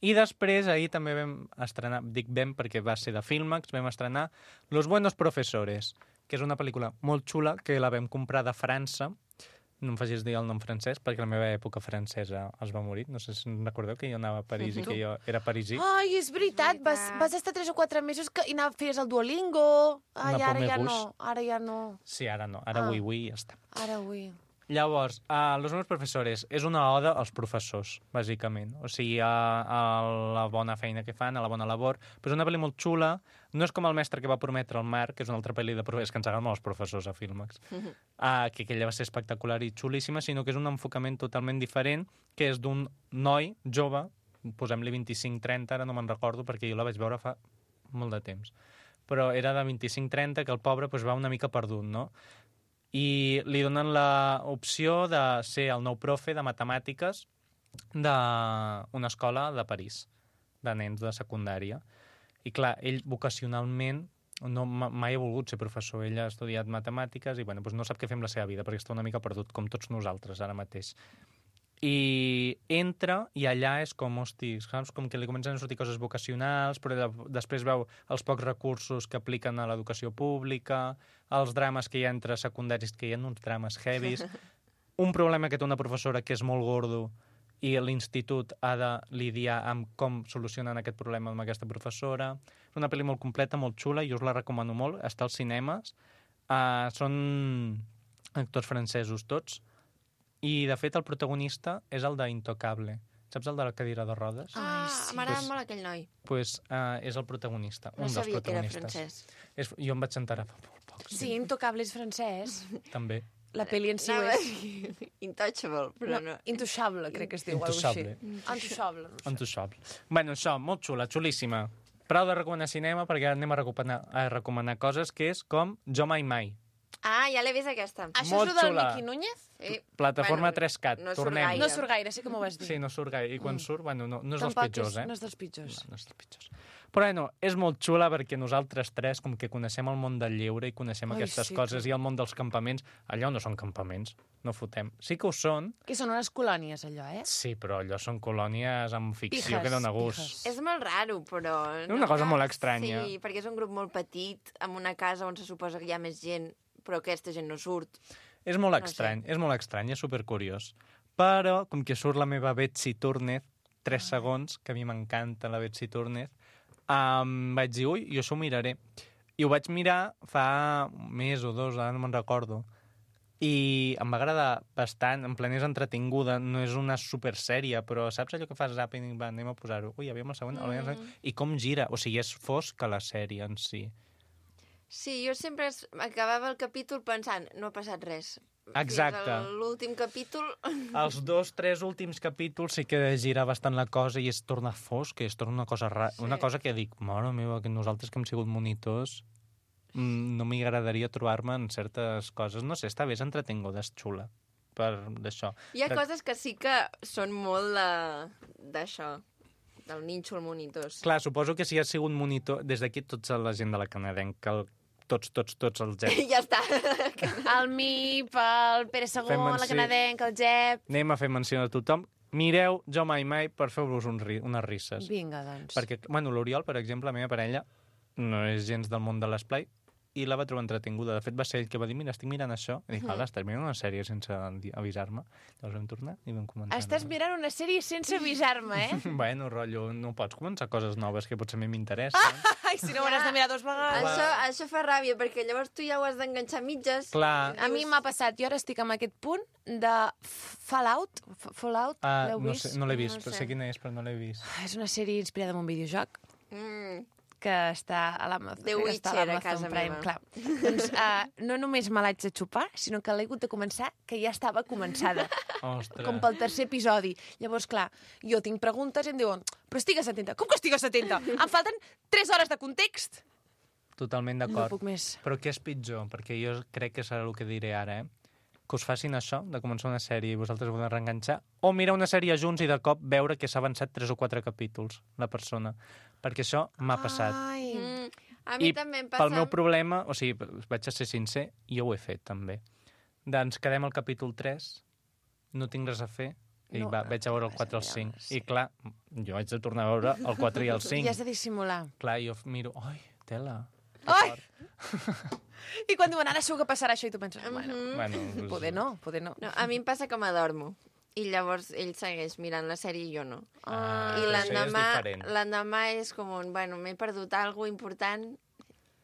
I després, ahir també vam estrenar, dic vam perquè va ser de Filmax, vam estrenar Los Buenos Profesores, que és una pel·lícula molt xula que la vam comprar de França. No em facis dir el nom francès, perquè la meva època francesa es va morir. No sé si recordeu que jo anava a París i que jo era parisí. Ai, és veritat, vas estar 3 o 4 mesos i feies el Duolingo. Ai, ara ja no. Sí, ara no. Ara oui, ja està. Ara oui. Llavors, Los Buenos Profesores és una oda als professors, bàsicament. O sigui, a la bona feina que fan, a la bona labor. Però és una pel·li molt xula. No és com El mestre que va prometre el mar, que és una altra pel·li de professors, que ens agraden molt els professors a Filmax, que aquella va ser espectacular i xulíssima, sinó que és un enfocament totalment diferent, que és d'un noi jove, posem-li 25-30, ara no me'n recordo, perquè jo la vaig veure fa molt de temps. Però era de 25-30, que el pobre va una mica perdut, no? I li donen l'opció de ser el nou profe de matemàtiques d'una escola de París, de nens de secundària. I clar, ell vocacionalment mai ha volgut ser professor. Ell ha estudiat matemàtiques i bueno, doncs no sap què fer amb la seva vida perquè està una mica perdut, com tots nosaltres ara mateix. I entra i allà és com, hosti, saps? Com que li comencen a sortir coses vocacionals, però després veu els pocs recursos que apliquen a l'educació pública, els drames que hi ha entre secundaris, que hi ha uns drames heavies, un problema que té una professora que és molt gordo i l'institut ha de lidiar amb com solucionen aquest problema amb aquesta professora. És una pel·li molt completa, molt xula, i us la recomano molt. Està als cinemes. Són actors francesos tots. I, de fet, el protagonista és el d'Intocable. Saps el de la cadira de rodes? M'agrada molt aquell noi. Doncs és el protagonista, No un dels sabia que era protagonistes. francès. Jo em vaig enterar fa molt poc. Sí, Intocable és francès. També. La pel·li en si ho Anava a és. dir Intouchable, però no. Intouchable, crec que es diu. Intouchable. Intouchable. Intouchable. Bueno, això, molt xula, xulíssima. Prou de recomanar cinema, perquè ara anem a recomanar coses que és com Jo Mai Mai. Ah, ja l'he vist aquesta. Això Molt és el del xula. Miki Núñez? Sí. Plataforma Bueno, 3CAT, no surt tornem. gaire. No surt gaire, sí que m'ho vas dir. Sí, no surt gaire. I quan surt, bueno, no és dels Tampoc pitjors, No és dels pitjors. No és dels pitjors. Però bueno, és molt xula perquè nosaltres tres, com que coneixem el món del lleure i coneixem Ai, aquestes sí, coses, i el món dels campaments, allò no són campaments, no fotem. Sí que ho són, Que són unes colònies, allò, eh? sí, però allò són colònies amb ficció Pijes, que dona gust. pijes. És molt raro, però... És una cosa molt estranya. Sí, perquè és un grup molt petit, amb una casa on se suposa que hi ha més gent, però aquesta gent no surt. És molt No estrany, és molt estrany, és supercuriós. Però, com que surt la meva Betsy Túrnez, 3 segons, que a mi m'encanta la Betsy Túrnez, vaig dir, ui, jo això ho miraré. I ho vaig mirar fa un mes o dos, ara no me'n recordo. I em va agradar bastant, en plan és entretinguda, no és una supersèrie, però saps allò que fas zapping i va, anem a posar-ho. Ui, aviam el següent, aviam el següent. I com gira, o sigui, és fosca la sèrie en si. Sí, jo sempre acabava el capítol pensant, no ha passat res. Exacte. Fins a l'últim capítol... Els 2-3 últims capítols sí que gira bastant la cosa i es torna fosc, i es torna una cosa rara. Sí. Una cosa que dic, mare meva, que nosaltres que hem sigut monitors no m'agradaria trobar-me en certes coses. No sé, està bé, és entretinguda, és xula per d'això. Hi ha coses que sí que són molt d'això, del nínxol monitors. Clar, suposo que si has sigut monitor, des d'aquí tota la gent de la canadenca, tots els Jep. Ja està. El MIP, el Pere Segó, Fem la menció. Canadenca, el Jep... Anem a fer menció de tothom. Mireu Jo Mai Mai per fer-vos unes risses. Vinga, doncs. Perquè, bueno, l'Oriol, per exemple, la meva parella, no és gens del món de l'esplai, i la va trobar entretinguda. De fet, va ser ell que va dir, mira, estic mirant això. I dic, ala, estàs mirant una sèrie sense avisar-me. Llavors vam tornar i vam començar. Estàs mirant una sèrie sense avisar-me, eh? Bueno, rotllo, no pots començar coses noves que potser a mi m'interessen. Ai, si no ho hauràs de mirar 2 vegades. Això fa ràbia, perquè llavors tu ja ho has d'enganxar a mitges. Clar. A mi m'ha passat, jo ara estic en aquest punt de Fallout. Fallout, l'heu No, vist? no l'he vist, No però sé. sé quina és, però no l'he vist. És una sèrie inspirada en un videojoc que està a l'Amazon. The crec que està Witcher, a l'Amazon casa Prime, meva. clar. Doncs no només me l'haig de xupar, sinó que l'he hagut de començar, que ja estava començada. Ostres. Com pel 3è episodi. Llavors, clar, jo tinc preguntes i em diuen, però estigues atenta. Com que estigues atenta? Em falten 3 hores de context. Totalment No d'acord. puc més. Però què és pitjor? Perquè jo crec que serà el que diré ara, que us facin això, de començar una sèrie i vosaltres voleu reenganxar, o mirar una sèrie junts i de cop veure que s'ha avançat 3 o 4 capítols, la persona. Perquè això m'ha passat. Ai. A mi I també em passa... pel meu problema, o sigui, vaig a ser sincer, jo ho he fet, també. Doncs quedem al capítol 3, no tinc res a fer, i No, vaig a veure el res 4 al a 5. veure, I clar, jo haig de tornar a veure el 4 i el 5. I has de dissimular. Clar, jo miro, ai, tela. Ai! I quan diuen, ara segur que passarà això, i tu penses, bueno, Bueno, doncs, poder no, poder no. No, a mi em passa que m'adormo. I llavors ell segueix mirant la sèrie i jo no. Ah, I però això ja és diferent. l'endemà és com un, bueno, m'he perdut alguna important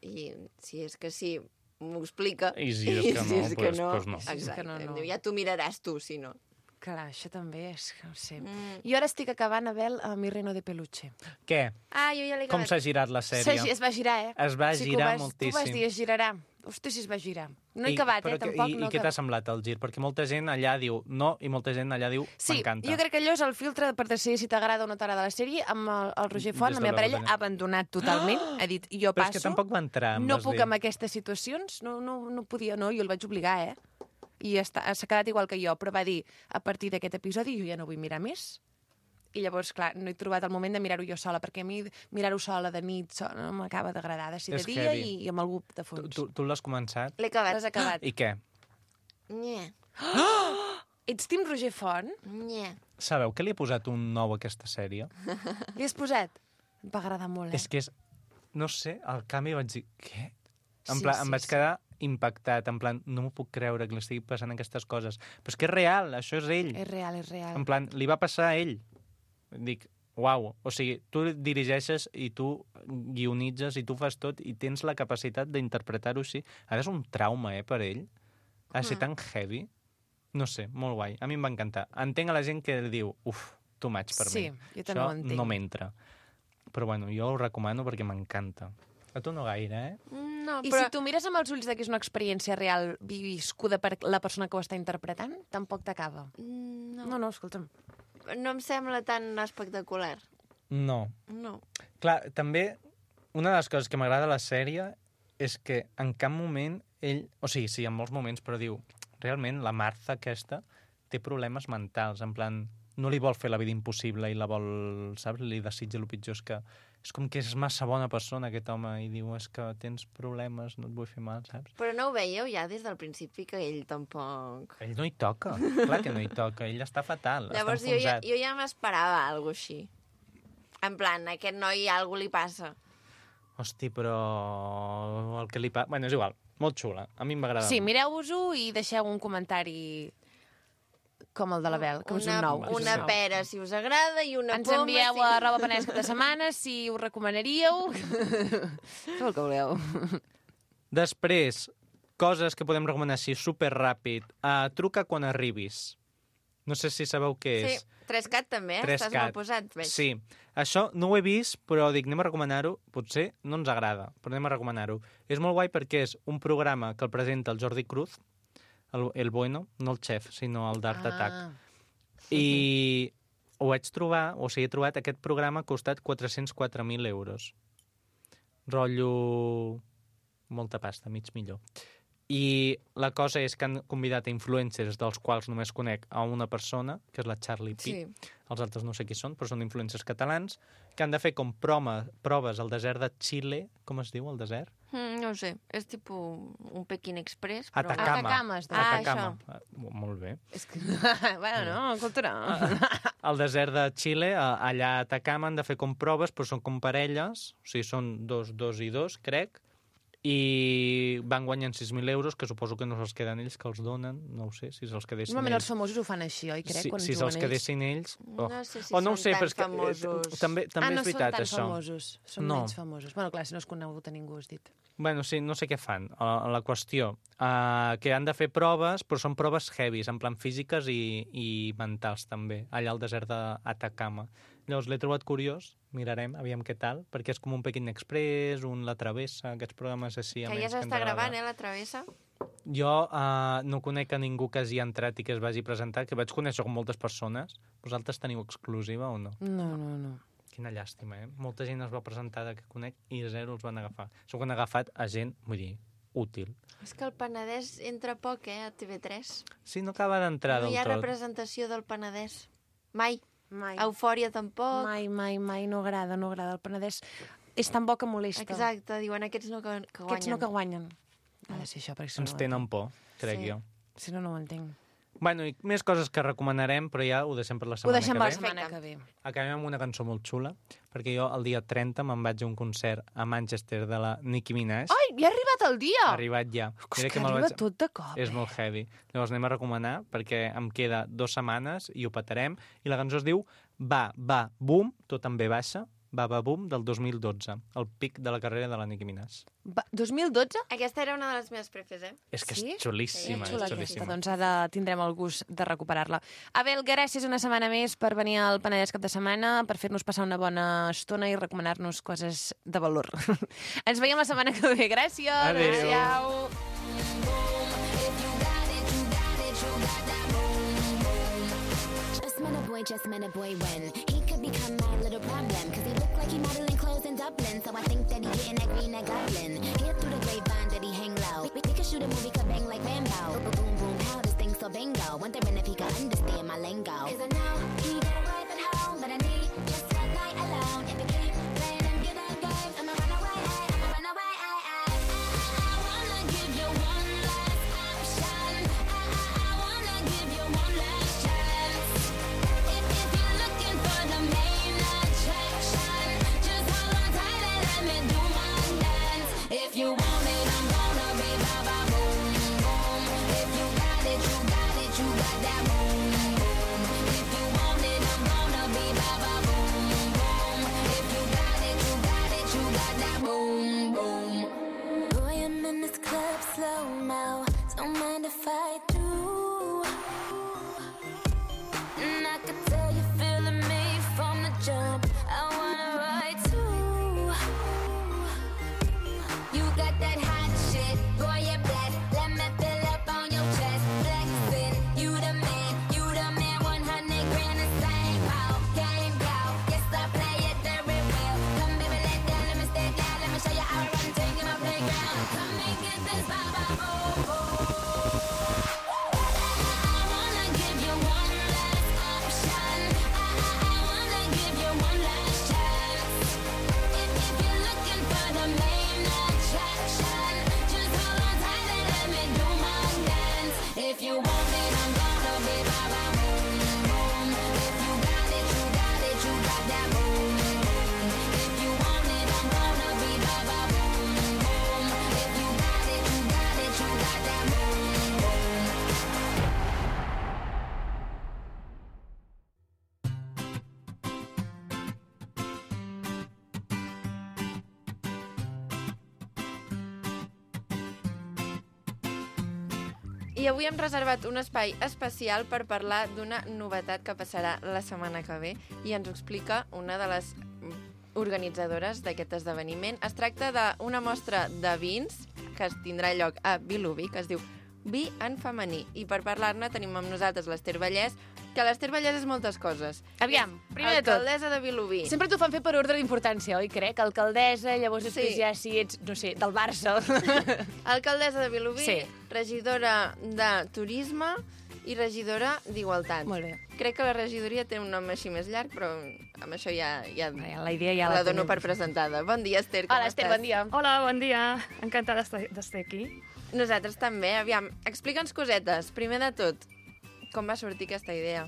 i si és que sí, m'ho explica. I si és que no, si és que doncs- doncs no. Exacte. Que no, no. Em diu, ja t'ho miraràs tu, si no. Clar, això també és, no ho sé. Jo ara estic acabant, Abel, a Mi Reino de Peluche. Què? Ah, jo ja l'he Com acabat. s'ha girat la sèrie? Es va girar, eh? Es va Sí que girar Tu vas moltíssim. dir, es girarà. Hosti, si es va girar. No he acabat, però tampoc. I no què t'ha semblat el gir? Perquè molta gent allà diu no i molta gent allà diu Sí, m'encanta. jo crec que allò és el filtre per decidir si t'agrada o no t'agrada la sèrie. Amb el Roger Font, Des la de meva la parella, batalla. ha abandonat totalment. Ha dit, jo Però passo. és que tampoc va entrar, em No vas puc dir. amb aquestes situacions. No podia, no, jo el vaig obligar, eh? i s'ha quedat igual que jo, però va dir, a partir d'aquest episodi jo ja no vull mirar més. I llavors, clar, no he trobat el moment de mirar-ho jo sola, perquè a mi mirar-ho sola de nit no m'acaba d'agradar, de ser de dia i amb algú de fons. Tu l'has començat? L'he acabat. L'has acabat. I què? Nye. Ets Tim Roger Font? Nye. Sabeu que li he posat un 9 a aquesta sèrie? Li has posat? Em va agradar molt, És que és... No sé, al canvi vaig dir... Què? Sí, Em vaig quedar impactat, en plan, no m'ho puc creure que li estigui passant aquestes coses. Però és que és real, això és ell. És real, és real. En plan, li va passar a ell. Dic, uau, o sigui, tu dirigeixes i tu guionitzes i tu fas tot i tens la capacitat d'interpretar-ho així. Ara és un trauma, per ell. Ha de ser tan heavy. No sé, molt guai. A mi em va encantar. Entenc a la gent que diu, too much per mi. Sí, jo també ho entenc. No m'entra. Però bueno, jo ho recomano perquè m'encanta. A tu no gaire, No, I però... si tu mires amb els ulls que és una experiència real viscuda per la persona que ho està interpretant, tampoc t'acaba. No. No, escolta'm. No em sembla tan espectacular. No. No. Clar, també, una de les coses que m'agrada de la sèrie és que en cap moment ell... O sigui, sí, en molts moments, però diu... Realment, la Martha aquesta té problemes mentals, en plan... No li vol fer la vida impossible i la vol... Saps? Li desitja el pitjor. És com que és massa bona persona, aquest home, i diu, és que tens problemes, no et vull fer mal, saps? Però no ho veieu ja des del principi, que ell tampoc... Ell no hi toca, clar que no hi toca. Ell està fatal, Llavors, està enfonsat. jo ja m'esperava alguna així. En plan, a aquest noi alguna li passa. Hosti, però el que li passa... Bueno, és igual, molt xula. A mi em va agradar. Sí, mireu-vos-ho i deixeu un comentari com el de la Bel, que és un nou. Una pera, si us agrada, i una Ens poma... envieu a arroba penedès cap de setmana si us recomanaríeu. Tot el que voleu. Després, coses que podem recomanar així superràpid. Truca quan arribis. No sé si sabeu què és. Sí, 3CAT també, 3CAT. Estàs molt posat, veig. Sí, això no ho he vist, però dic, anem a recomanar-ho. Potser no ens agrada, però anem a recomanar-ho. És molt guai perquè és un programa que el presenta el Jordi Cruz, el bueno, no el xef, sinó el d'Art Attack. I ho vaig trobar, o sigui, he trobat aquest programa ha costat 404.000 euros. Rotllo... molta pasta, mig millor. I la cosa és que han convidat a influencers dels quals només conec a una persona, que és la Charlie P. Sí. Els altres no sé qui són, però són influencers catalans, que han de fer com proves al desert de Xile. Com es diu, el desert? No ho sé, és tipus un Peking Express, però... Atacama. Atacama, Atacama. Molt bé. És que... bueno, no, cultura. Al desert de Xile, allà a Atacama, han de fer com proves, però són com parelles, o sigui, són dos i dos, crec, i van guanyant 6.000 euros, que suposo que no se'ls queden ells, que els donen, no ho sé, si se'ls quedessin Normalment ells. els famosos ho fan així, oi? Crec, quan si juguen se'ls quedessin ells... No sé si no ho sé, són tan però és que, famosos. també és veritat, no són tan això. famosos, són No. menys famosos. Bueno, clar, si no és conegut a ningú, has dit. Bueno, sí, no sé què fan. La qüestió, que han de fer proves, però són proves heavies, en plan físiques i mentals, també, allà al desert d'Atacama. Llavors l'he trobat curiós, mirarem, aviam què tal, perquè és com un Peking Express, La Travessa, aquests programes així. Que ja s'està gravant, La Travessa? Jo no conec a ningú que hagi entrat i que es vagi presentar, que vaig conèixer com moltes persones. Vosaltres teniu exclusiva o no? No. Quina llàstima, Molta gent es va presentar que conec i zero els van agafar. Segur que han agafat a gent, vull dir, útil. És que el Penedès entra poc, a TV3. Sí, no acaba d'entrar No del hi ha tot. representació del Penedès. Mai. Mai. Eufòria tampoc. Mai, no agrada el Penedès. És tan bo que molesta. Exacte, diuen aquests no que guanyen. Aquests no que guanyen. Ha de ser això, perquè si Ens no... tenen por, crec Sí. jo. Si no, no ho entenc. Bueno, i més coses que recomanarem, però ja ho deixem per la Ho setmana deixem que per la ve. setmana que ve. Acabem amb una cançó molt xula, perquè jo el dia 30 me'n vaig a un concert a Manchester de la Nicki Minaj. Ai, ja ha arribat el dia! Ha arribat ja. És Mira que me'l arriba tot de cop. És molt heavy. Llavors anem a recomanar, perquè em queda 2 setmanes i ho petarem. I la cançó es diu Va, boom, tot en B baixa, Va, boom, del 2012. El pic de la carrera de la Nicki Minaj. 2012? Aquesta era una de les meves prefes, És que Sí? és xulíssima, Xula és aquesta, xulíssima. doncs ara tindrem el gust de recuperar-la. Abel, gràcies una setmana més per venir al Penedès cap de setmana, per fer-nos passar una bona estona i recomanar-nos coses de valor. Ens veiem la setmana que ve. Gràcies. Adéu. Adéu. Just met a boy when he could become my little problem, cause he looked like he modeling clothes in Dublin, so I think that he getting that green, that goblin. Hear through the grapevine that he hang low. We could shoot a movie, could bang like Rambo. Boom, boom, pow, this so bingo. Wondering if he could understand my lingo. 'Cause I know he got a wife at home, but I need just one night alone. If he keep playing them good games, I'ma run away, I'ma run away. I wanna give you one last option. I wanna give you one last chance. If you're looking for the main attraction, just hold on tight and let me do my dance. If you want it, I'm gonna be ba ba boom boom. If you got it, you got it, you got that boom boom. If you want it, I'm gonna be ba ba boom boom. If you got it, you got it, you got that boom boom. Boy, I'm in this club slow mo. Don't mind if I do. And I could tell you feeling me from the jump. I wanna ride too. You got that hot shit, boy, you're blessed. Let me fill up on your chest, flexing. You the man, 100 grand the same. How game go? Yes, I play it very well. Come baby, let down, let me stay down. Let me show you how I run, take you my playground. Come and get this ba-ba, boom, boom. I wanna give you one last option. I wanna give you one last chance. If you're looking for the main attraction, just hold on tight and let me do my dance. If you want it, I'm gonna be ba ba boom boom. If you got it, you got it, you got that boom boom. If you want it, I'm gonna be ba ba boom boom. If you got it, you got it, you got that boom boom. I avui hem reservat un espai especial per parlar d'una novetat que passarà la setmana que ve i ens ho explica una de les organitzadores d'aquest esdeveniment. Es tracta d'una mostra de vins que es tindrà lloc a Vilobí, que es diu Vi en femení. I per parlar-ne tenim amb nosaltres l'Ester Vallès, que l'Ester Vallès és moltes coses. Aviam, primer de tot. Alcaldessa de Vilobí. Sempre t'ho fan fer per ordre d'importància, oi, crec? Alcaldessa, llavors després Sí. ja si ets, no sé, del Barça. Alcaldessa de Vilobí, Sí. regidora de Turisme i regidora d'Igualtat. Molt bé. Crec que la regidoria té un nom així més llarg, però amb això ja La idea ja la dono tenim. per presentada. Bon dia, Ester, com Hola, Esther, estàs? bon dia. Hola, bon dia. Encantada d'estar aquí. Nosaltres també. Aviam, explica'ns cosetes. Primer de tot, com va sortir aquesta idea?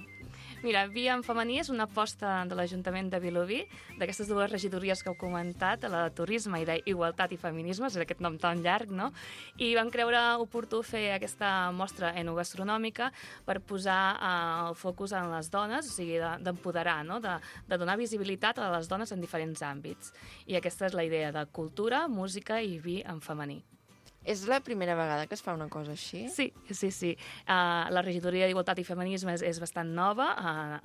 Mira, Vi en femení és una aposta de l'Ajuntament de Vilobí, d'aquestes dues regidories que heu comentat, la de Turisme i d'Igualtat i Feminismes, és aquest nom tan llarg, no? I vam creure oportú fer aquesta mostra enogastronòmica per posar el focus en les dones, o sigui, d'empoderar, no? De donar visibilitat a les dones en diferents àmbits. I aquesta és la idea de cultura, música i vi en femení. És la primera vegada que es fa una cosa així? Sí. La regidoria d'Igualtat i Feminisme és bastant nova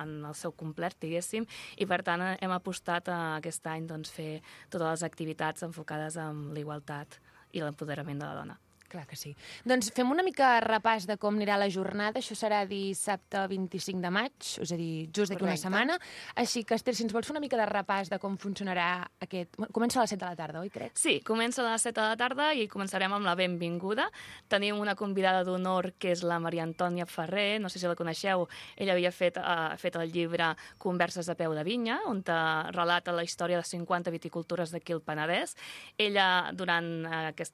en el seu complet, diguéssim, i per tant hem apostat aquest any doncs, fer totes les activitats enfocades en l'igualtat i l'empoderament de la dona. Clar que sí. Doncs fem una mica repàs de com anirà la jornada. Això serà dissabte 25 de maig, és a dir, just d'aquí una Correcte. setmana. Així que, Esther, si ens vols fer una mica de repàs de com funcionarà aquest... Comença a les 7 de la tarda, oi, crec? Sí, comença a les 7 de la tarda i començarem amb la benvinguda. Tenim una convidada d'honor que és la Maria Antònia Ferrer, no sé si la coneixeu. Ella havia fet el llibre Converses a peu de vinya, on relata la història de 50 viticultores d'aquí al Penedès. Ella, durant aquest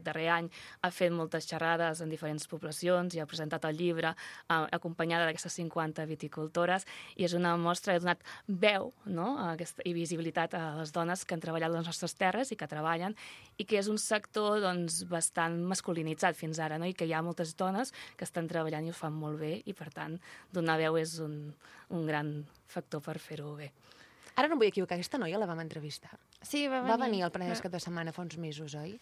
darrer any, ha fet moltes xerrades en diferents poblacions i ha presentat el llibre acompanyada d'aquestes 50 viticultores i és una mostra, ha donat veu, no?, i visibilitat a les dones que han treballat a les nostres terres i que treballen i que és un sector doncs, bastant masculinitzat fins ara, no?, i que hi ha moltes dones que estan treballant i ho fan molt bé i per tant donar veu és un gran factor per fer-ho bé. Ara no em vull equivocar, aquesta noia la vam entrevistar. Sí, va venir. Va venir al Penedès cap de setmana fa uns mesos, oi?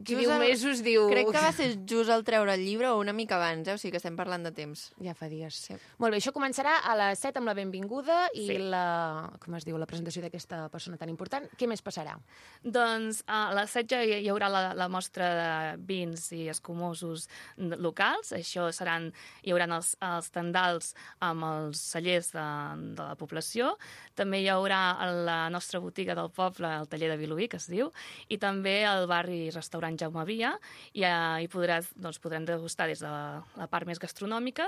Qui diu mesos, diu... Crec que va ser just al treure el llibre o una mica abans, o sigui que estem parlant de temps. Ja fa dies. Sí. Molt bé, això començarà a les 7 amb la benvinguda i Sí. la presentació d'aquesta persona tan important. Què més passarà? Doncs a les 7 ja hi haurà la mostra de vins i escumosos locals. Això hi haurà els tendals amb els cellers de la població. També hi haurà a la nostra botiga del poble, el taller de Vilobí, que es diu, i també al barri restaurant Jaume Via, i hi podrem degustar des de la part més gastronòmica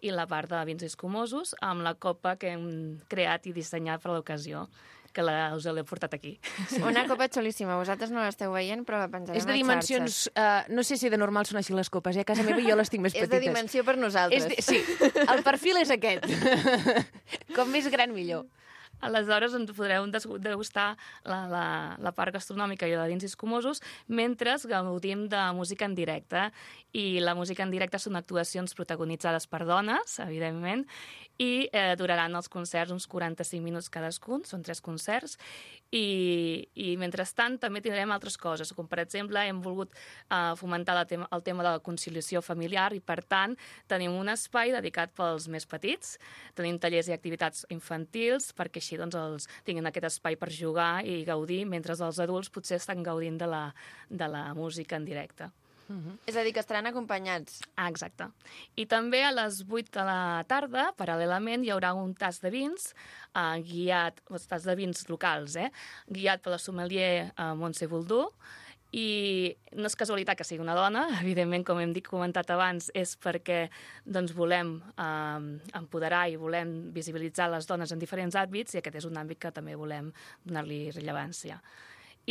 i la part de vins escumosos, amb la copa que hem creat i dissenyat per l'ocasió, que us l'he portat aquí. Una copa xulíssima. Vosaltres no l'esteu veient, però la penjarem És de a dimensions... no sé si de normal són així les copes, A casa meva jo les tinc més És petites. de dimensió per nosaltres. Sí, el perfil és aquest. Com més gran, millor. Aleshores ens podreu degustar la part gastronòmica i de vins escumosos mentre gaudim de música en directe. I la música en directe són actuacions protagonitzades per dones, evidentment, i duraran els concerts uns 45 minuts cadascun, són 3 concerts, i mentrestant també tindrem altres coses, com per exemple hem volgut fomentar el tema de la conciliació familiar i per tant tenim un espai dedicat pels més petits, tenim tallers i activitats infantils perquè així doncs, tinguin aquest espai per jugar i gaudir, mentre els adults potser estan gaudint de la música en directe. És a dir, que estaran acompanyats. Exacte. I també a les 8 de la tarda, paral·lelament, hi haurà un tas de vins guiat, tas de vins locals, guiat per la sommelier Montse Boldú, i no és casualitat que sigui una dona, evidentment, com hem comentat abans, és perquè doncs, volem empoderar i volem visibilitzar les dones en diferents àmbits, i aquest és un àmbit que també volem donar-li rellevància.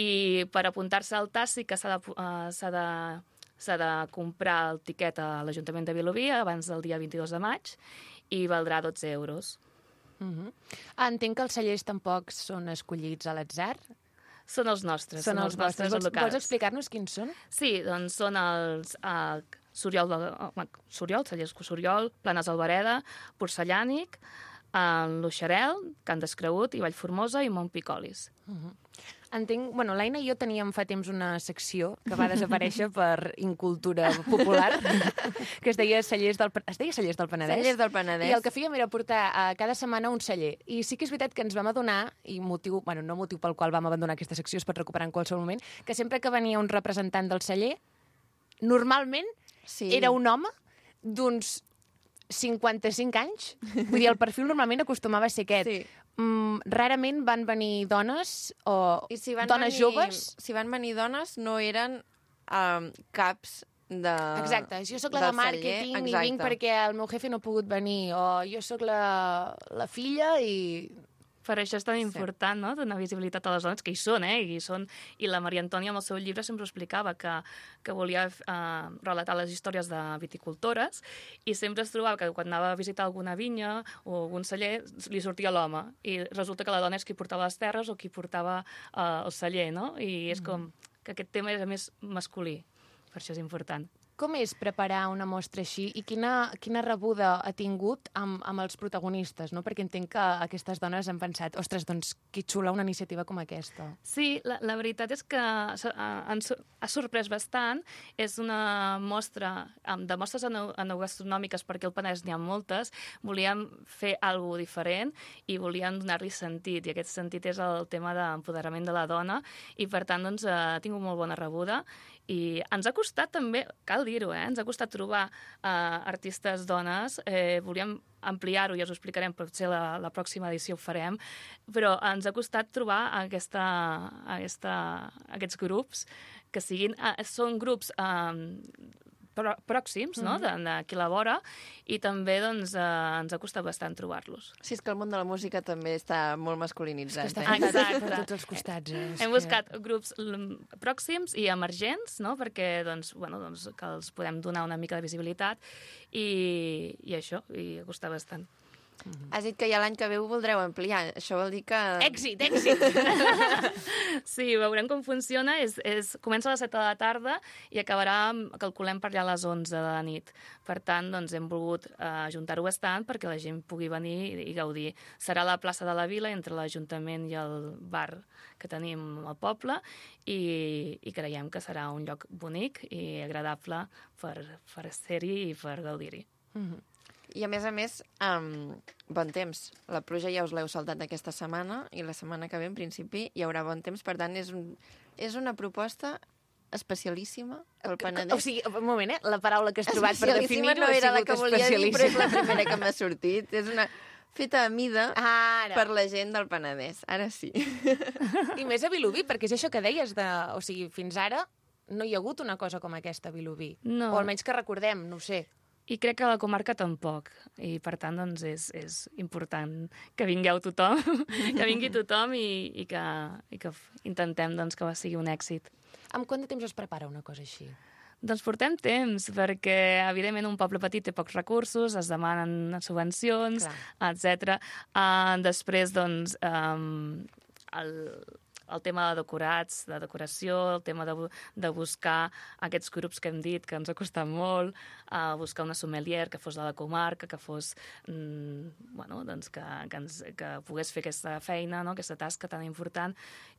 I per apuntar-se al tas sí que s'ha de comprar el tiquet a l'Ajuntament de Vilobí abans del dia 22 de maig i valdrà 12 euros. Entenc que els cellers tampoc són escollits a l'atzar. Són els nostres. Són els vostres. locals. Vols explicar-nos quins són? Sí, doncs són els Soriol, cellers Soriol, Planes Albereda, Porcellànic, l'Uixarel, Can Descregut i Vallformosa i Montpicolis. Entenc... Bueno, l'Aina i jo teníem fa temps una secció que va desaparèixer per incultura popular, que es deia Cellers del Penedès. Cellers del Penedès. I el que fèiem era portar cada setmana un celler. I sí que és veritat que ens vam adonar, i motiu pel qual vam abandonar aquesta secció, es pot recuperar en qualsevol moment, que sempre que venia un representant del celler, normalment era un home d'uns 55 anys. Vull dir, el perfil normalment acostumava a ser aquest. Sí. Rarament van venir dones o dones joves. Si van venir dones, no eren caps de... Exacte, jo sóc la de màrqueting i vinc perquè el meu jefe no ha pogut venir, o jo sóc la filla i... Per això és tan important, no?, donar visibilitat a les dones, que hi són, i la Maria Antònia amb el seu llibre sempre explicava que volia relatar les històries de viticultores i sempre es trobava que quan anava a visitar alguna vinya o algun celler li sortia l'home i resulta que la dona és qui portava les terres o qui portava el celler, no? I és com que aquest tema és més masculí, per això és important. Com és preparar una mostra així i quina rebuda ha tingut amb els protagonistes, no? Perquè entenc que aquestes dones han pensat, ostres, doncs que xula una iniciativa com aquesta. Sí, la veritat és que ha sorprès bastant. És una mostra de mostres enogastronòmiques, perquè al Penedès n'hi ha moltes. Volíem fer alguna cosa diferent i volíem donar-li sentit, i aquest sentit és el tema d'empoderament de la dona, i per tant doncs, ha tingut molt bona rebuda. I ens ha costat també, cal dir-ho, ens ha costat trobar artistes dones. Volíem ampliar-ho, ja us ho explicarem, potser la pròxima edició ho farem, però ens ha costat trobar aquests grups que són grups pròxims, no?, d'aquí a la vora, i també doncs, ens ha costat bastant trobar-los. Sí, és que el món de la música també està molt masculinitzat. Exacte. Per tots els costats. Hem buscat grups pròxims i emergents, no?, perquè que els podem donar una mica de visibilitat, i això, i ha costat bastant. Has dit que ja l'any que ve ho voldreu ampliar. Això vol dir que... Èxit! Sí, veurem com funciona. Comença a les 7 de la tarda i acabarà, calculem, per allà a les 11 de la nit. Per tant, doncs, hem volgut ajuntar-ho bastant perquè la gent pugui venir i gaudir. Serà a la plaça de la Vila, entre l'Ajuntament i el bar que tenim al poble, i creiem que serà un lloc bonic i agradable per ser-hi i per gaudir-hi. I, a més, bon temps. La pluja ja us l'heu saltat aquesta setmana i la setmana que ve, en principi, hi haurà bon temps. Per tant, és una proposta especialíssima, el Penedès. O sigui, un moment, la paraula que has trobat per definir-ho no ha era la sigut que volia dir, però és especialíssima. la primera que m'ha sortit. És una feta a mida Ara. per la gent del Penedès. Ara sí. I més a Vilobí, perquè és això que deies, o sigui, fins ara no hi ha hagut una cosa com aquesta a Vilobí. No. O almenys que recordem, no ho sé. I crec que a la comarca tampoc. I, per tant, doncs, és important que vingueu tothom, que vingui tothom i que intentem doncs, que sigui un èxit. Amb quant de temps es prepara una cosa així? Doncs portem temps, perquè, evidentment, un poble petit té pocs recursos, es demanen subvencions, etc. Després, doncs, el tema de decorats, de decoració, el tema de buscar aquests grups que hem dit, que ens ha costat molt, buscar una sommelier que fos de la comarca, que fos, bueno, doncs que pogués fer aquesta feina, no? Aquesta tasca tan important,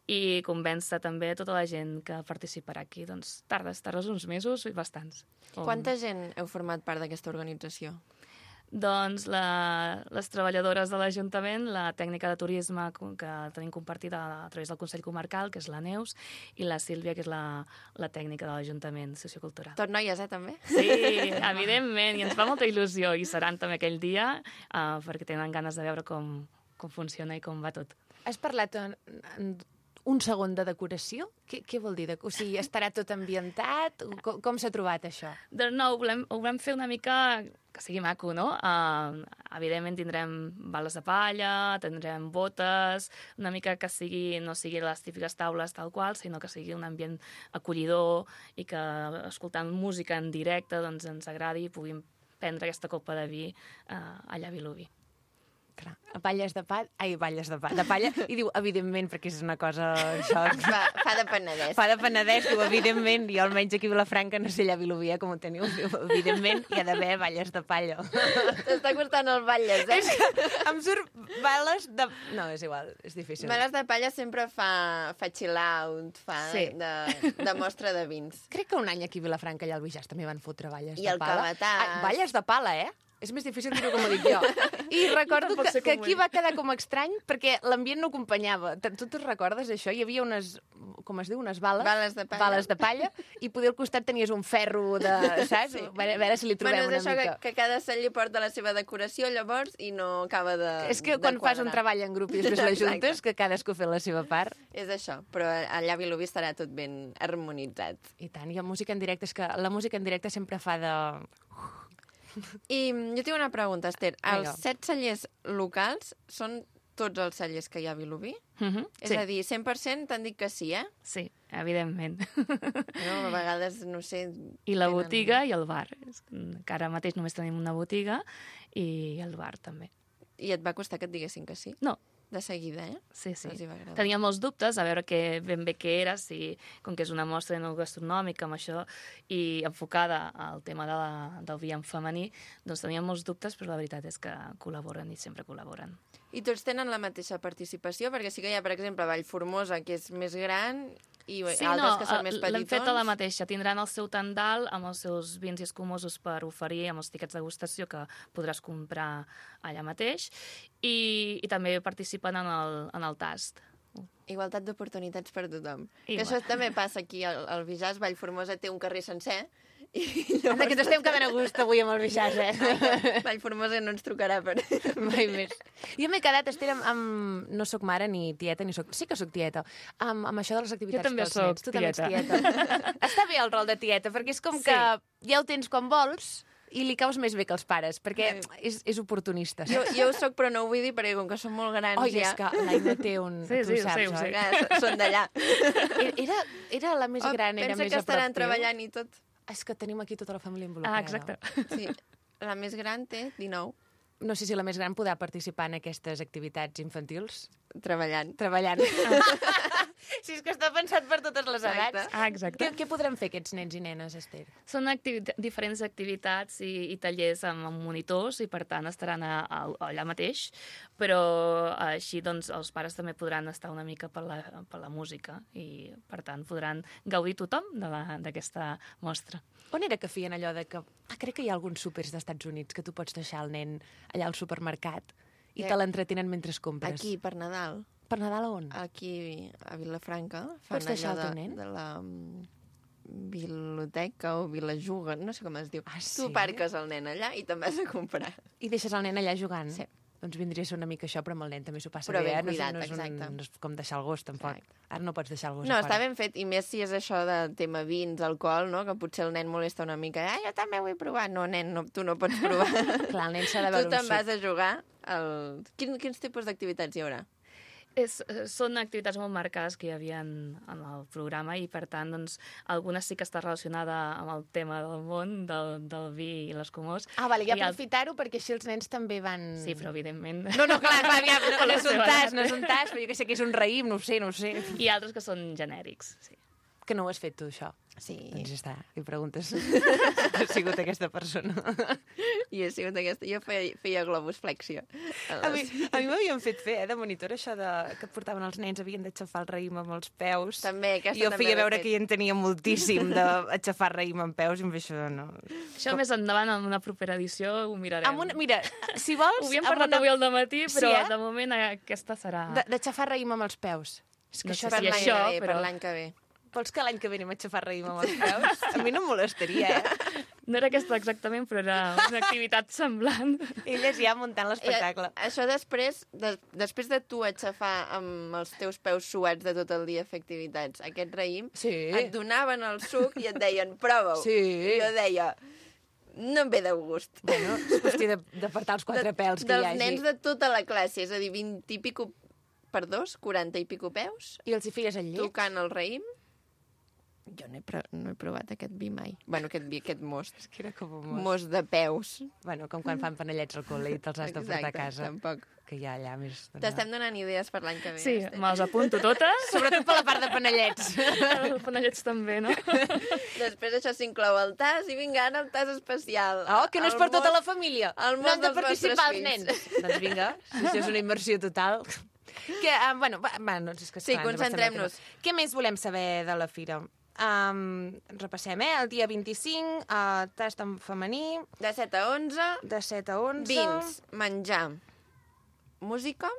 i convèncer també tota la gent que participarà aquí. Doncs tardes uns mesos i bastants. Quanta gent heu format part d'aquesta organització? Doncs les treballadores de l'Ajuntament, la tècnica de turisme que tenim compartida a través del Consell Comarcal, que és la Neus, i la Sílvia, que és la tècnica de l'Ajuntament sociocultural. Tot noies, també? Sí, evidentment, i ens fa molta il·lusió, i seran també aquell dia, perquè tenen ganes de veure com funciona i com va tot. Has parlat en un segon de decoració? Què vol dir? O sigui, estarà tot ambientat? Com s'ha trobat això? Doncs no, ho volem fer una mica que sigui maco, no? Evidentment tindrem bales de palla, tindrem botes, una mica que no sigui les típiques taules tal qual, sinó que sigui un ambient acollidor i que escoltant música en directe doncs ens agradi i puguin prendre aquesta copa de vi allà a Vilobí. Balles de palla, i diu, evidentment, perquè és una cosa... Això, fa de Penedès. Fa de Penedès, diu, evidentment, i almenys aquí a Vilafranca, no sé allà a Vilobí, com ho teniu, diu, evidentment, hi ha d'haver balles de palla. T'està costant el balles, eh? És que em surt bales de... No, és igual, és difícil. Balles de palla sempre fa chill out, de mostra de vins. Crec que un any aquí a Vilafranca, allà al Bijàs, també van fotre balles de pala. I el cabetàs. Balles de pala, eh? És més difícil dir-ho com ho dic jo. I recordo que aquí va quedar com estrany perquè l'ambient no acompanyava. Tu te'n recordes, això? Hi havia unes, com es diu, unes bales? Bales de palla. I poder al costat tenies un ferro de... Saps? Sí. A veure si li trobem una mica. És això que cada cel·li porta la seva decoració, llavors, i no acaba de És que quan fas un treball en grup i després l'ajuntes, que cadascú fa la seva part. És això, però allà a Vilobí estarà tot ben harmonitzat. I tant, i la música en directe, és que la música en directe sempre fa de... I jo tinc una pregunta, Esther. Els 7 cellers locals són tots els cellers que hi ha a Vilobí? És a dir, 100% t'han dit que sí, eh? Sí, evidentment. No, a vegades, no sé... I la botiga i el bar. Que ara mateix només tenim una botiga i el bar també. I et va costar que et diguessin que sí? No. De seguida, eh? Sí. Tenia molts dubtes a veure ben bé què era, com que és una mostra gastronòmica amb això i enfocada al tema del vi en femení, doncs tenia molts dubtes, però la veritat és que col·laboren i sempre col·laboren. I tots tenen la mateixa participació? Perquè sí que hi ha, per exemple, Vallformosa, que és més gran, i altres que són més petitons. L'hem fet a la mateixa. Tindran el seu tendal amb els seus vins i escumosos per oferir amb els tiquets de degustació que podràs comprar allà mateix i també participen en el tast. Igualtat d'oportunitats per tothom. Que això també passa aquí al Bijàs. Vallformosa té un carrer sencer. Anda, que ens estem quedant a gust avui amb el Bijàs, eh? Vallformosa no ens trucarà per... Mai més. Jo m'he quedat, Esther, no soc mare ni tieta, sí que soc tieta, amb això de les activitats. Jo també soc tieta. Tu també ets tieta. Està bé el rol de tieta, perquè és com que ja ho tens quan vols i li caus més bé que els pares, perquè és oportunista. Jo ho soc, però no ho vull dir, perquè com que són molt grans ja... és que l'Aina té un... Sí, tu saps, sí. Són d'allà. Era la més gran, era més a prop teu. Pensa que estaran treballant i tot. És que tenim aquí tota la família involucrada. Exacte. Sí, la més gran té 19. No sé si la més gran podrà participar en aquestes activitats infantils. Treballant. Si és que està pensat per totes les edats. Exacte. Què podrem fer aquests nens i nenes, Esther? Són diferents activitats i tallers amb monitors i, per tant, estaran allà mateix, però així doncs, els pares també podran estar una mica per la música i, per tant, podran gaudir tothom d'aquesta mostra. On era que feien allò de que... crec que hi ha alguns súpers d'Estats Units que tu pots deixar el nen allà al supermercat i te l'entretenen mentre compres. Aquí, per Nadal. Per Nadal a on? Aquí, a Vilafranca. Pots deixar el teu nen? De la biblioteca o Vilajuga, no sé com es diu. Ah, sí? Tu parques el nen allà i te'n vas a comprar. I deixes el nen allà jugant? Sí. Doncs vindria a ser una mica això, però amb el nen també s'ho passa Però bé, ben No és- cuidat, no és exacte. No és com deixar el gos, tampoc. Exacte. Ara no pots deixar el gos No, a està fora. ben fet, i més si és això de tema vins, alcohol, no? Que potser el nen molesta una mica. Jo també vull provar. No, nen, no, tu no pots provar. Clar, el nen s'ha de Tu veure te'n un vas suc. a jugar. Quins tipus d'activitats hi haurà? Són activitats molt marcades que hi havia en el programa i, per tant, doncs, algunes sí que està relacionada amb el tema del món, del vi i les comors. Vale, ja I aprofitar-ho perquè així els nens també van... Sí, però evidentment... No, clar, aviam, no, Per la no és un seva tas, edat. no és un tas, però jo que sé que és un raïm, no ho sé. I altres que són genèrics, sí. Que no ho has fet tu, això. Sí. Doncs ja està, i preguntes. Ha sigut aquesta persona. I he sigut aquesta. Jo feia globus flexio. A mi m'havien fet fer, de monitor, això que portaven els nens, havien d'aixafar el raïm amb els peus. També, aquesta I jo també feia l'he veure fet. que hi en tenia moltíssim d'aixafar raïm amb peus, i amb això no... Això més endavant, en una propera edició, ho mirarem. Mira, si vols... Ho havíem parlat avui al dematí, però Sí, eh? de moment aquesta serà... D'aixafar raïm amb els peus. És que No això sé Per si l'any això, que ve, però- per l'any que ve. Vols que l'any que ve anem a aixafar raïm amb els peus? A mi no em molestaria, No era aquesta exactament, però era una activitat semblant. Elles ja muntant l'espectacle. Això després de tu aixafar amb els teus peus suats de tot el dia fer activitats, aquest raïm, Sí. et donaven el suc i et deien, prova-ho. Sí. I jo deia, no em ve de gust. Bueno, és qüestió d'apartar els quatre pels que hi Dels hagi. nens de tota la classe, és a dir, 20 i pico per 2, 40 i pico peus, I els hi feies al llit? tocant el raïm. Jo no he provat aquest vi mai. Bueno, aquest most. És que era com un most. Most de peus. Bueno, com quan fan panellets al col·le i te'ls has de portar a casa. Tampoc. Que hi ha allà més... T'estem donant idees per l'any que ve. Sí, Esther. me'ls apunto totes. Sobretot per la part de panellets. Els panellets també, no? Després això s'inclou el tas i vinga, ara el tas especial. Oh, que no és El per tota most- la família. el No most han de dels participar els vostres nens. Doncs vinga, si això és una immersió total. Que, bueno, doncs és que Sí, esclar, ens concentrem-nos. avancem al tema. Què més volem saber de la fira? Repassem, El dia 25, tast en femení, De 7 a 11, de 7 a 11... vins, menjar, música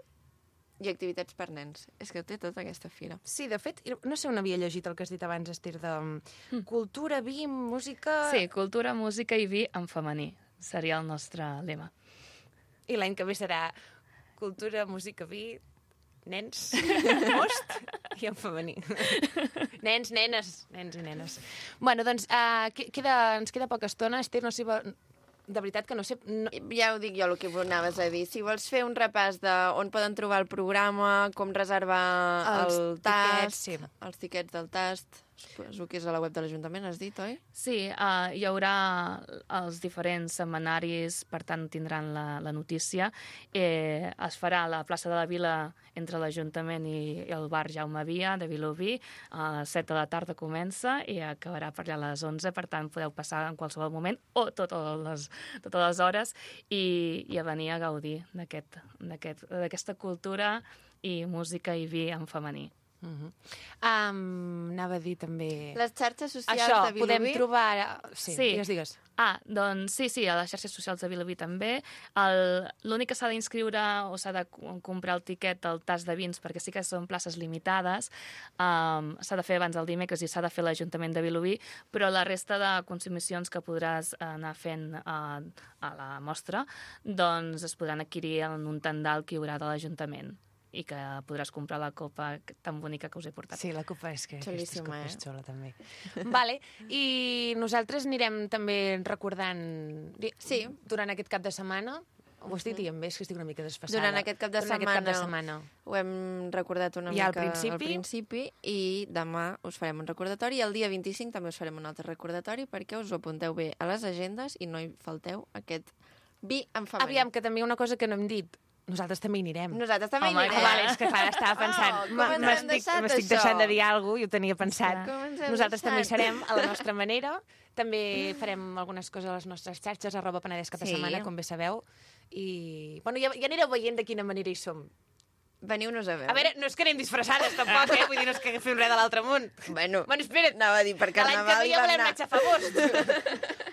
i activitats per nens. És que té tota aquesta fira. Sí, de fet, no sé on havia llegit el que has dit abans, Esther, de cultura, vi, música... Sí, cultura, música i vi en femení. Seria el nostre lema. I l'any que ve serà cultura, música, vi, nens, most i en femení. Nens, nenes, nens i nenes. Bueno, doncs ens queda poca estona. Esther, no sé... De veritat que no sé... No... Ja ho dic jo, el que anaves a dir. Si vols fer un repàs de on poden trobar el programa, com reservar Els el tiquets, tast, sí. els tiquets del tast, suposo que és a la web de l'Ajuntament, has dit, oi? Sí, hi haurà els diferents setmanaris, per tant tindran la notícia. Es farà a la plaça de la Vila entre l'Ajuntament i el bar Jaume Via de Vilobí. A les 7 de la tarda comença i acabarà per allà a les 11, per tant podeu passar en qualsevol moment o totes les hores i a venir a gaudir d'aquesta cultura i música i vi en femení. Anava a dir també... Les xarxes socials Això, de Vilobí... podem trobar... Sí, Sí. digues. Doncs sí, a les xarxes socials de Vilobí també. L'únic que s'ha d'inscriure o s'ha de comprar el tiquet del tas de vins, perquè sí que són places limitades, s'ha de fer abans del dimecres i s'ha de fer l'Ajuntament de Vilobí, però la resta de consumicions que podràs anar fent a la mostra, doncs es podran adquirir en un tendal que hi haurà de l'Ajuntament i que podràs comprar la copa tan bonica que us he portat. Sí, la copa és que Xulíssima, aquesta copa és eh? xula, també. Vale, i nosaltres anirem també recordant... Sí. Durant aquest cap de setmana, ho estic dient bé, és que estic una mica desfassada. Durant aquest cap de setmana. Ho hem recordat una Ja mica al principi. i demà us farem un recordatori i el dia 25 també us farem un altre recordatori perquè us ho apunteu bé a les agendes i no hi falteu aquest vi en femení. Aviam, que també una cosa que no hem dit. Nosaltres també hi anirem. Nosaltres també Home, hi anirem. Vale, és que clar, estava pensant, com ens hem deixat m'estic això? deixant de dir alguna cosa i ho tenia pensat. Com ens hem Nosaltres també hi deixat? serem a la nostra manera. També farem algunes coses a les nostres xarxes, @Penedès cap de Sí. setmana, com bé sabeu. I bueno, ja anireu veient de quina manera hi som. Veniu-nos a veure. A veure, no és que anem disfressades, tampoc, Vull dir, no és que fem res de l'altre món. Bueno, espera't. anava a dir, per Que l'any que Carnaval ve hi ja vam volem anar. anar a xafar most.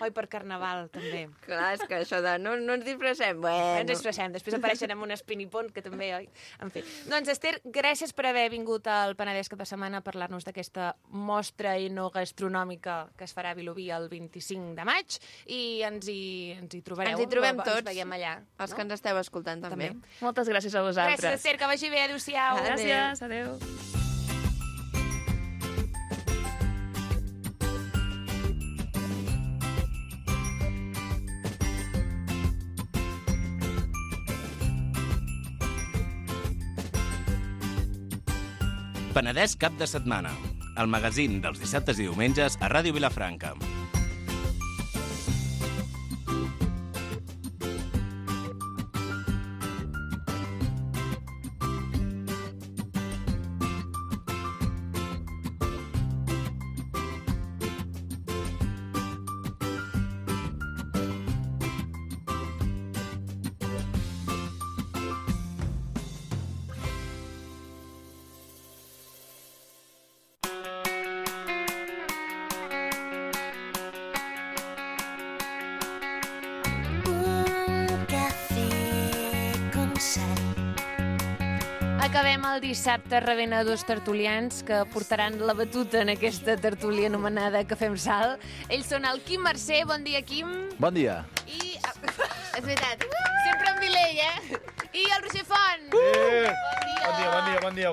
Oi, per Carnaval, també. Clar, és que això de no ens disfressem, Ens bueno. disfressem, després apareixen amb un espinipont, que també, oi? En fi. Doncs, Esther, gràcies per haver vingut al Penedès cap de setmana a parlar-nos d'aquesta mostra gastronòmica que es farà a Vilobí el 25 de maig i ens hi trobareu. Ens hi trobem tots. Ens veiem allà. Els que ens esteu escoltant també. Moltes gràcies a vosaltres. Gràcies, Esther, que vagi bé. Adéu-siau. Gràcies, adéu. Penedès cap de setmana, el magazín dels dissabtes i diumenges a Ràdio Vilafranca. Acabem el dissabte rebent a dos tertulians que portaran la batuta en aquesta tertúlia anomenada Cafè amb Sal. Ells són el Quim Mercè. Bon dia, Quim. Bon dia. I... És veritat. Sempre en Vilell, I el Roger Font. Bon dia.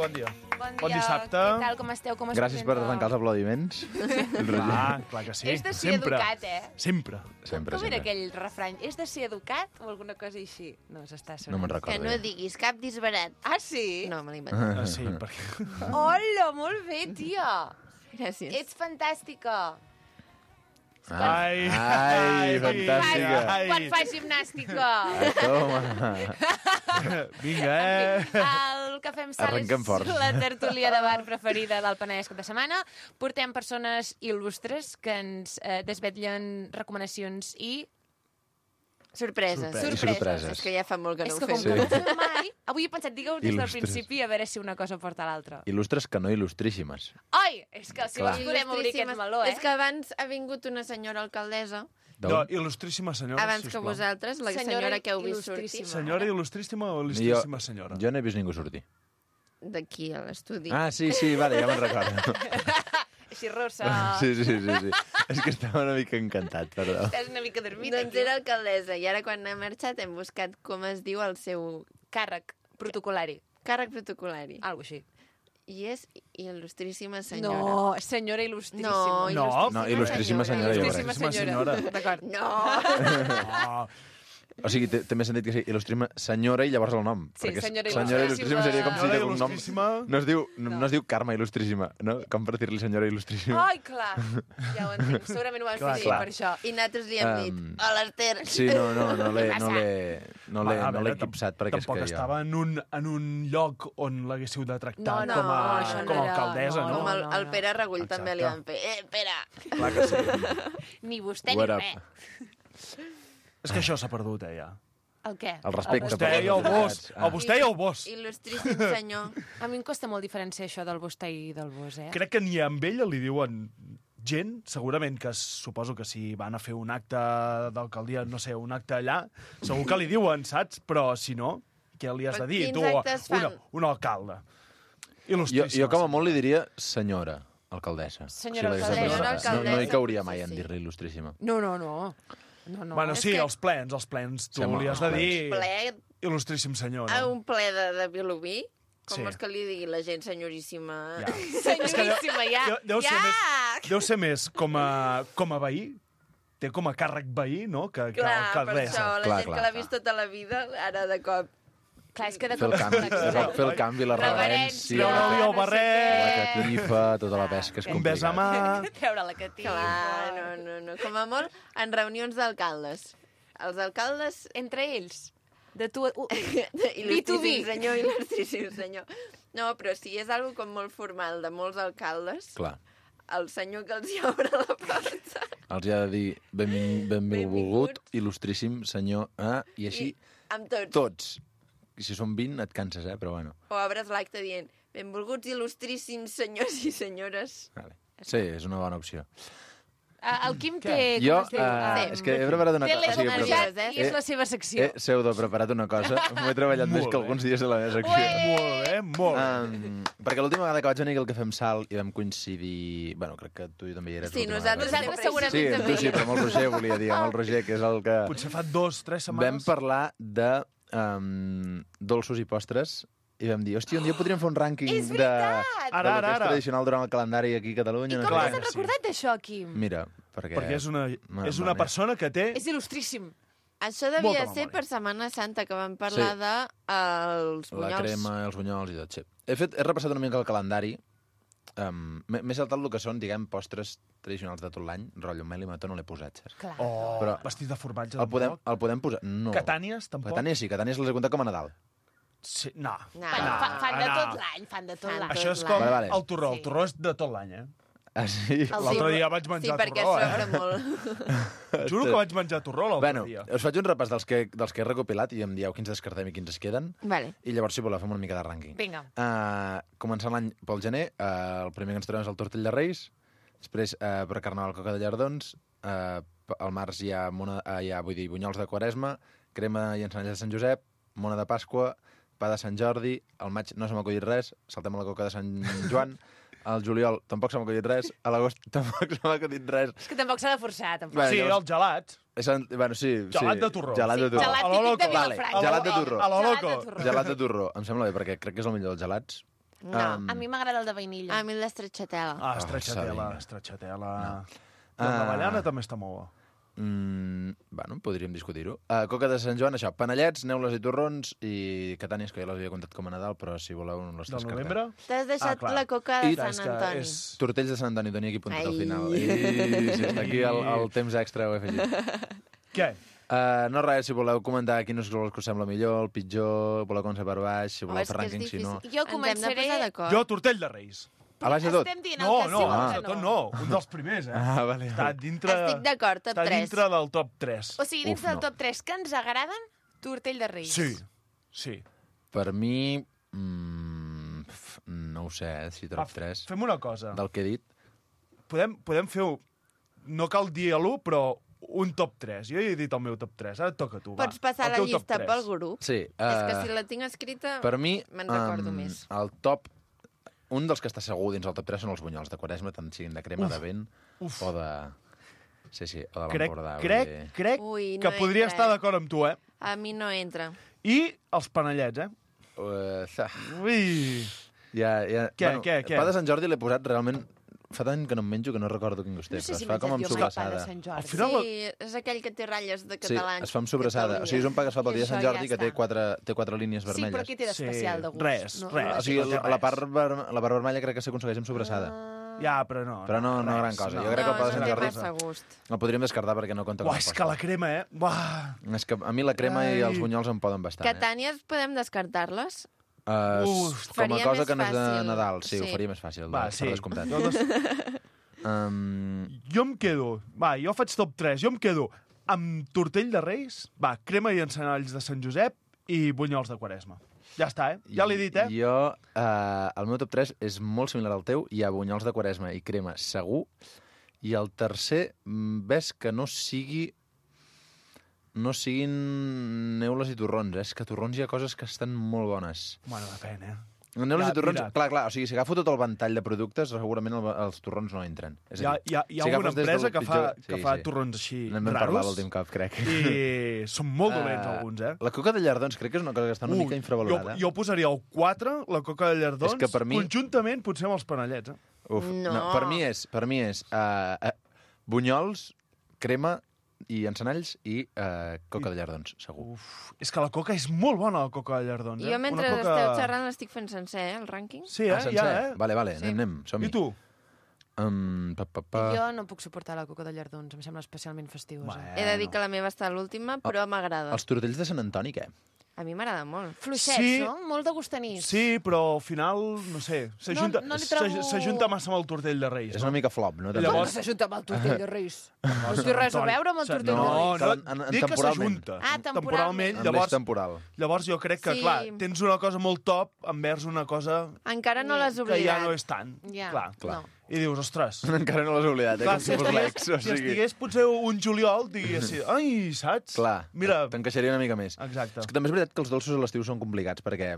Bon dissabte. Què tal, com esteu? Com es Gràcies per presenta? arrencar els aplaudiments. Clar que sí. És de ser educat, Sempre. Com era aquell refrany? És de ser educat o alguna cosa així? No, s'està sonant. No me'n Que recordo. no diguis cap disbarat. Ah, sí? No, me l'he inventat. Sí, perquè... Hola, molt bé, tia. Gràcies. Ets fantàstica. Ai, Ai, fantàstica. Quan fas gimnàstica. Toma. Vinga, El Cafè amb Sal Arrenquem és forts. la tertúlia de bar preferida del Penedès cap de setmana. Portem persones il·lustres que ens desvetllen recomanacions i... Sorpreses. Sorpreses. És que ja fa molt que És no que ho com fem. que no ho fem mai, avui he pensat, digueu des del Il·lustres. principi a veure si una cosa porta a l'altra. Il·lustres que no il·lustríssimes. Ai, és que si Clar. vols podem obrir aquest meló, És que abans ha vingut una senyora alcaldessa, no, il·lustríssima senyora, abans que sisplau. vosaltres, la senyora que heu vist sortir. il·lustríssima. Senyora il·lustríssima o il·lustríssima senyora? Jo no he vist ningú sortir. D'aquí a l'estudi. Ah, sí, vale, ja me'n recordo. Així rossa. Sí. És que estava una mica encantat, perdó. Estàs una mica dormit. Doncs era alcaldessa, i ara quan ha marxat hem buscat com es diu el seu Càrrec protocolari. càrrec protocolari. Algo així. I és il·lustríssima senyora. No, senyora il·lustríssima. No, il·lustríssima senyora, jo crec. Il·lustríssima senyora. D'acord. No! O sigui, té més sentit que sigui il·lustríssima senyora i llavors el nom. Sí, perquè senyora il·lustríssima seria com si Senyora de cognom... il·lustríssima. No es diu Carme il·lustríssima, no? Com per dir-li senyora il·lustríssima. Ai, clar. Ja ho entenc. Segurament ho vam Clar, fer clar. per això. I nosaltres li hem dit, a l'Ester. Sí, no l'he equipsat perquè és Tampoc que estava en un lloc on l'haguéssiu de tractar No, com a això no com a era- alcaldessa, no, no? Com no. el Pere Regull també li van fer. Pere! Clar que sí. Ni vostè ni What up? res. És que això s'ha perdut, ja. El què? El respecte Vostè i el bos. El vostè i el bos. Il·lustríssim senyor. A mi em costa molt diferenciar això del vostè i del vos, Crec que ni amb ella li diuen gent, segurament que suposo que si van a fer un acte d'alcaldia, no sé, un acte allà, segur que li diuen, saps? Però si no, què li has de dir? Quins Tu, actes fan? un alcalde. Jo com a molt li diria senyora alcaldessa. Senyora l'hagués alcaldessa. de presentar. Senyora No hi cauria alcaldessa, mai en sí. dir-li il·lustríssima. No. No. Bueno, És sí, que- els plens. Tu Sembla li has de els dir Ple, il·lustríssim senyor, a no? un ple de Vilobí, com Sí. vols que li digui la gent senyoríssima? Ja. Senyoríssima, ja. Deu ser més com a veí, té com a càrrec veí, no?, que Clar, per alcaldessa. això, la Clar, gent clar, que l'ha clar. vist tota la vida, ara de cop... Clar, és que de Fer el cop canvi, fer el canvi, la Reverència. reverència, Treure-li el la barret, catifa, tota la pesca és un bes a complicat. mà... treure la catifa. Clar, no. Com a molt, en reunions d'alcaldes. Els alcaldes... Entre ells. De tu... Il·lustríssim senyor, il·lustríssim senyor. No, però si és algo com molt formal de molts alcaldes, Clar, el senyor que els hi obre la porta... els hi ha de dir benvolgut, il·lustríssim senyor, i així Amb tots. tots. si són 20 et canses, però bueno. O obres l'acte dient benvolguts il·lustríssims senyors i senyores. Vale. Sí, és una bona opció. El Quim té... Jo, com es diu? és que he preparat una Té cosa. l'energiat i és la seva secció. He pseudo-preparat una cosa. M'ho he treballat més que alguns dies de la meva secció. Molt bé, molt bé. Perquè l'última vegada que vaig venir al Cafè amb Sal i vam coincidir... Bueno, crec que tu també hi eres. Sí, nosaltres segurament sí, també. Sí, però amb el Roger volia dir, amb el Roger, que és el que... Potser fa 2-3 setmanes. Vam parlar de dolços i postres i vam dir, hòstia, un dia podríem fer un rànquing de lo que és tradicional durant el calendari aquí a Catalunya. I com t'has recordat d'això, Quim? Mira, perquè és una persona que té... És il·lustríssim. Això devia ser per Setmana Santa, que vam parlar de els bunyols. La crema, els bunyols i tot, sí. He repassat una mica el calendari. M'he saltat el que són, diguem, postres tradicionals de tot l'any. Rotllo, mel i mató no l'he posat, saps? Clar. Però vestit de formatge, el podem posar... No. Catànies, tampoc? Catànies sí, Catànies les he comptat com a Nadal. Sí, no. Fan de tot l'any, Això és com el torró. El torró és de tot l'any, Ah, sí? L'altre dia vaig menjar torró, Sí, perquè sobra molt. Juro que vaig menjar torró l'altre dia. Us faig un repàs dels que he recopilat i em dieu quins descartem i quins es queden. Vale. I llavors, si voleu, fem una mica de rànquing. Vinga. Començant l'any pel gener, el primer que ens trobem és el tortell de Reis, després per Carnaval coca de llardons, al març hi ha bunyols de Quaresma, crema i encenalles de Sant Josep, mona de Pasqua, pa de Sant Jordi, al maig no se m'ha acudit res, saltem a la coca de Sant Joan, al juliol tampoc se m'ha acudit res, a l'agost tampoc se m'ha acudit res. És que tampoc s'ha de forçar, tampoc. Sí, el gelat. Bueno, sí. Gelat de torró. Gelat de torró. Gelat típic de Vilafranca. Gelat de torró. A lo loco. Gelat de torró. Em sembla bé, perquè crec que és el millor dels gelats. No. A mi m'agrada el de vainilla. A mi el d'estretxatela. Estretxatela. La d'avellana també està molt bo. Bueno, podríem discutir-ho. Coca de Sant Joan, això, panellets, neules i torrons i catànies, que ja les havia contat com a Nadal, però si voleu no les descartem. Del novembre? T'has deixat la coca de Sant Antoni. Tortells de Sant Antoni, tenia aquí apuntat al final. I aquí el temps extra ho he afegit. Què? No res, si voleu comentar quins us sembla millor, el pitjor, voleu començar per baix, si voleu fer rànquing, si no... Jo començaré... Jo, tortell de Reis. A baix de tot? Estem dient el que sí o el que no. Un dels primers, Vale. Estic d'acord, top 3. Està dintre del top 3. O sigui, dins del top 3 que ens agraden, tortell de Reis. Sí. Per mi... no ho sé, si top 3. Fem una cosa. Del que he dit. Podem fer... No cal dir l'1, però un top 3. Jo he dit el meu top 3, ara et toca a tu. Pots passar la llista pel grup? Sí. És que si la tinc escrita, per mi, me'n recordo més. El top... Un dels que està segur dins el top 3 són els bunyols de Quaresma, tant siguin de crema de vent o de... Sí, o de l'Empordà. Crec que podria estar d'acord amb tu, A mi no entra. I els panellets, Ui! Què? Pa de Sant Jordi l'he posat realment... Fa tant que no em menjo que no recordo quin gust té, però es fa com amb sobrassada. Sí, és aquell que té ratlles de catalans. Sí, es fa amb sobrassada. O sigui, és un pa que es fa pel dia de Sant Jordi que té quatre línies vermelles. Sí, però què té d'especial de gust? Res. O sigui, la part vermella crec que s'aconsegueix amb sobrassada. Ja, però no. Però no gran cosa. Jo crec que el pa de Sant Jordi el podríem descartar perquè no compta com a és que la crema, És que a mi la crema i els bunyols em poden bastant. Catànies podem descartar-les? Com a cosa que no és de Nadal, sí, ho faria més fàcil, per descomptat. Jo em quedo... Jo faig top 3. Jo em quedo amb tortell de Reis, crema i encenalls de Sant Josep i bunyols de Quaresma. Ja està, Ja l'he dit, Jo, el meu top 3 és molt similar al teu. Hi ha bunyols de Quaresma i crema segur. I el tercer, ves que no siguin neules i torrons. És que torrons hi ha coses que estan molt bones. Bueno, depèn, Neules i torrons, clar, o sigui, si agafo tot el ventall de productes, segurament els torrons no entren. Hi ha una empresa que fa torrons així raros. N'hem parlat l'últim cop, crec. I són molt dolents, alguns, La coca de llardons crec que és una cosa que està una mica infravalorada. Jo posaria el 4, la coca de llardons, conjuntament potser amb els panellets. No, per mi és bunyols, crema i encenalls i coca de llardons, segur. És que la coca és molt bona, la coca de llardons. Jo mentre esteu xerrant l'estic fent sencer, el rànquing. Sí, sencer? Vale, anem, som-hi. I tu? Jo no puc suportar la coca de llardons, em sembla especialment festigosa. He de dir que la meva està a l'última, però m'agrada. Els tortells de Sant Antoni, què? A mi m'agrada molt. Fluixets, Sí. no? Molt de gustanís. Sí, però al final, no sé, s'ajunta No li trobo- s'ajunta massa amb el tortell de Reis. És una mica flop, no? Llavors- Com que s'ajunta amb el tortell de Reis? No té res a veure amb el tortell de Reis. No, En dic que temporalment. s'ajunta. Ah, temporalment. En l'eix temporal. Llavors jo crec que, Sí. clar, tens una cosa molt top envers una cosa Encara no l'has que oblidat. ja no és tant. Ja, Clar. no. I dius, ostres... Encara no l'has oblidat, Clar, com si fos l'ex. O si sigui, estigués potser un juliol, diguessis, ai, saps? clar, Mira, t'encaixaria una mica més. exacte. És que també és veritat que els dolços a l'estiu són complicats perquè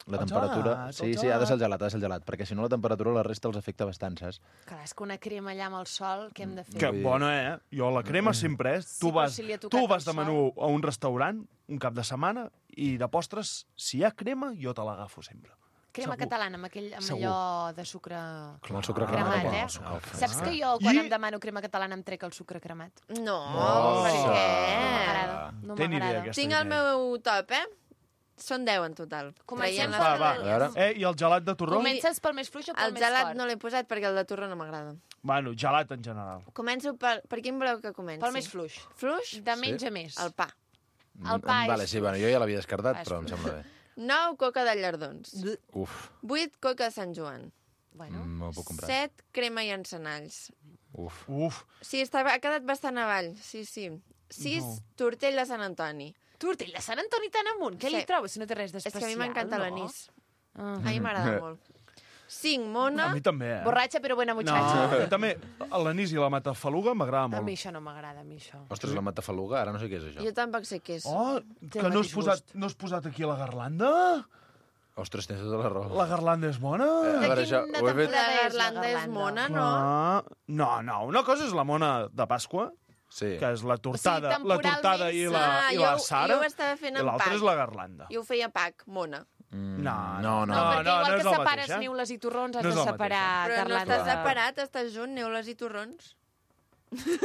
la temperatura... gelat, Sí, el sí, ha de ser el gelat. gelat, ha de ser el gelat, perquè si no la temperatura la resta els afecta bastant, saps? Clar, és que una crema allà amb el sol, què hem de fer? Que Vull dir- bona, Jo la crema sempre és... Tu però vas, si li ha tocat tu vas el de menú a un restaurant un cap de setmana i de postres, si hi ha crema, jo te l'agafo sempre. Crema Segur. catalana, amb Segur. allò de sucre Amb el sucre cremat, cremat. eh? amb el sucre Saps que jo, quan em demano crema catalana, em trec el sucre cremat? No, Oh. per No què? m'agrada, no Té ni idea, m'agrada. aquesta Tinc el idea. meu top, Són 10 en total. Comencem Traient per les Va, medalles. veure. I el gelat de torró? Comences pel més fluix o pel El més gelat fort? no l'he posat perquè el de torró no m'agrada. Bueno, gelat en general. Començo per quin voleu que comenci? Pel més fluix. Fluix? De menys a més. El pa. El pa Vale, és- sí, bueno, jo ja l'havia descartat, És- però em sembla bé. 9, coca de llardons. Uf, 8, coca de Sant Joan. Bueno, no ho puc comprar. 7, crema i encenalls. Uf. Uf, Sí, ha quedat bastant avall. Sí. 6, tortell de Sant Antoni. tortell de Sant Antoni tan amunt. Què Sí. li trobes si no té res És d'especial? que a mi m'encanta no? l'anís. Ah. A mi m'agrada molt. 5, a mona. mi també, Borratxa però buena No, muchacha. a mi també l'anís i la matafaluga m'agrada A molt. mi això no m'agrada, a mi això. Ostres, la matafaluga, ara no sé què és això. Jo tampoc sé què és. Oh, Té que el no has, mateix posat, gust. no has posat aquí la garlanda? Ostres, tens tota la raó. La garlanda és bona? A veure, De això, quina ho he fet... La temporada és la garlanda és garlanda? mona, no? Ah, no, una cosa és la mona de Pasqua, Sí. que és la tortada, O sigui, la tortada i la, Ah, i la jo Sara, ho estava fent i en l'altra pack. és la garlanda. Jo ho feia pack, mona. No. No, No, perquè igual no és que el separes mateix, eh? niules i torrons, has No és de el mateix, separar Però no garlanda. estàs separat, estàs junt, neules i torrons.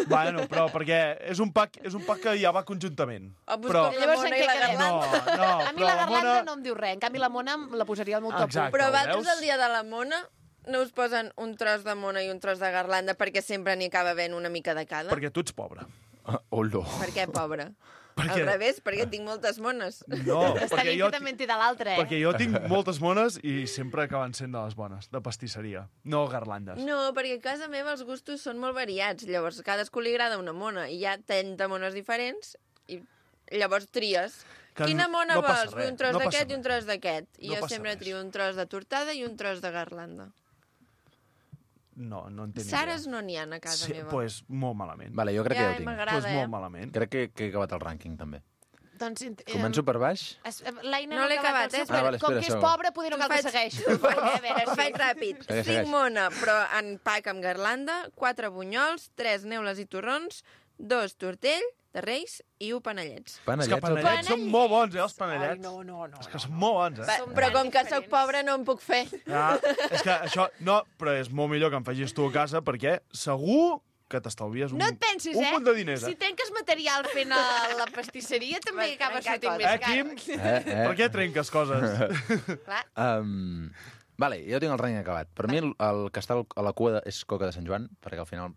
Bueno, però perquè és un pack que ja va conjuntament. O busco Però... la Llavors, mona en i què la quedem? garlanda. No, A mi però la garlanda mona... no em diu res. En canvi, la mona la posaria al meu top 1. Exacte. Però ho vosaltres veus? el dia de la mona no us posen un tros de mona i un tros de garlanda perquè sempre n'hi acaba havent una mica de cada? Perquè tu ets pobre. Olo. Per què, pobre? Perquè... Al revés, perquè tinc moltes mones. No, Està perquè bien jo, que també en té de l'altre, eh? perquè jo tinc moltes mones i sempre acaben sent de les bones, de pastisseria, no garlandes. No, perquè a casa meva els gustos són molt variats. Llavors, a cadascú li agrada una mona i hi ha 30 mones diferents i llavors tries. Que Quina mona no passa vols? res, Vull un tros no passa d'aquest i un res. tros d'aquest. I No jo passa sempre res. trio un tros de tortada i un tros de garlanda. No en tenc Sares idea. no n'hi ha a casa Sí, meva. pues molt malament. Vale, jo crec que ja ho tinc. m'agrada, Pues molt malament. Crec que he acabat el rànquing, també. Doncs, Començo per baix? L'Aina No l'he acabat, el seu, eh? però vale, com espera, que és segon. pobra, poder no cal que segueixi. A veure, Ho faig ràpid. Segueix, 5 segueix. mona, però en pack amb garlanda, 4 bunyols, 3 neules i torrons, 2 tortell de reis i 1 panellets. És que Panellets, panellets són molt bons, els panellets. Ai, no. És que són molt bons, Va, Som però tan com que sóc diferents. pobra no em puc fer. Ja, és que això... No, però és molt millor que em facis tu a casa perquè segur que t'estalvies un, No et pensis, un eh? munt de diners. Si trenques material fent la pastisseria, també acaba sortint més car. Quim? Per què trenques coses? Clar. Vale, jo tinc el rànquing acabat. Per mi el que està a la cua és Coca de Sant Joan, perquè al final...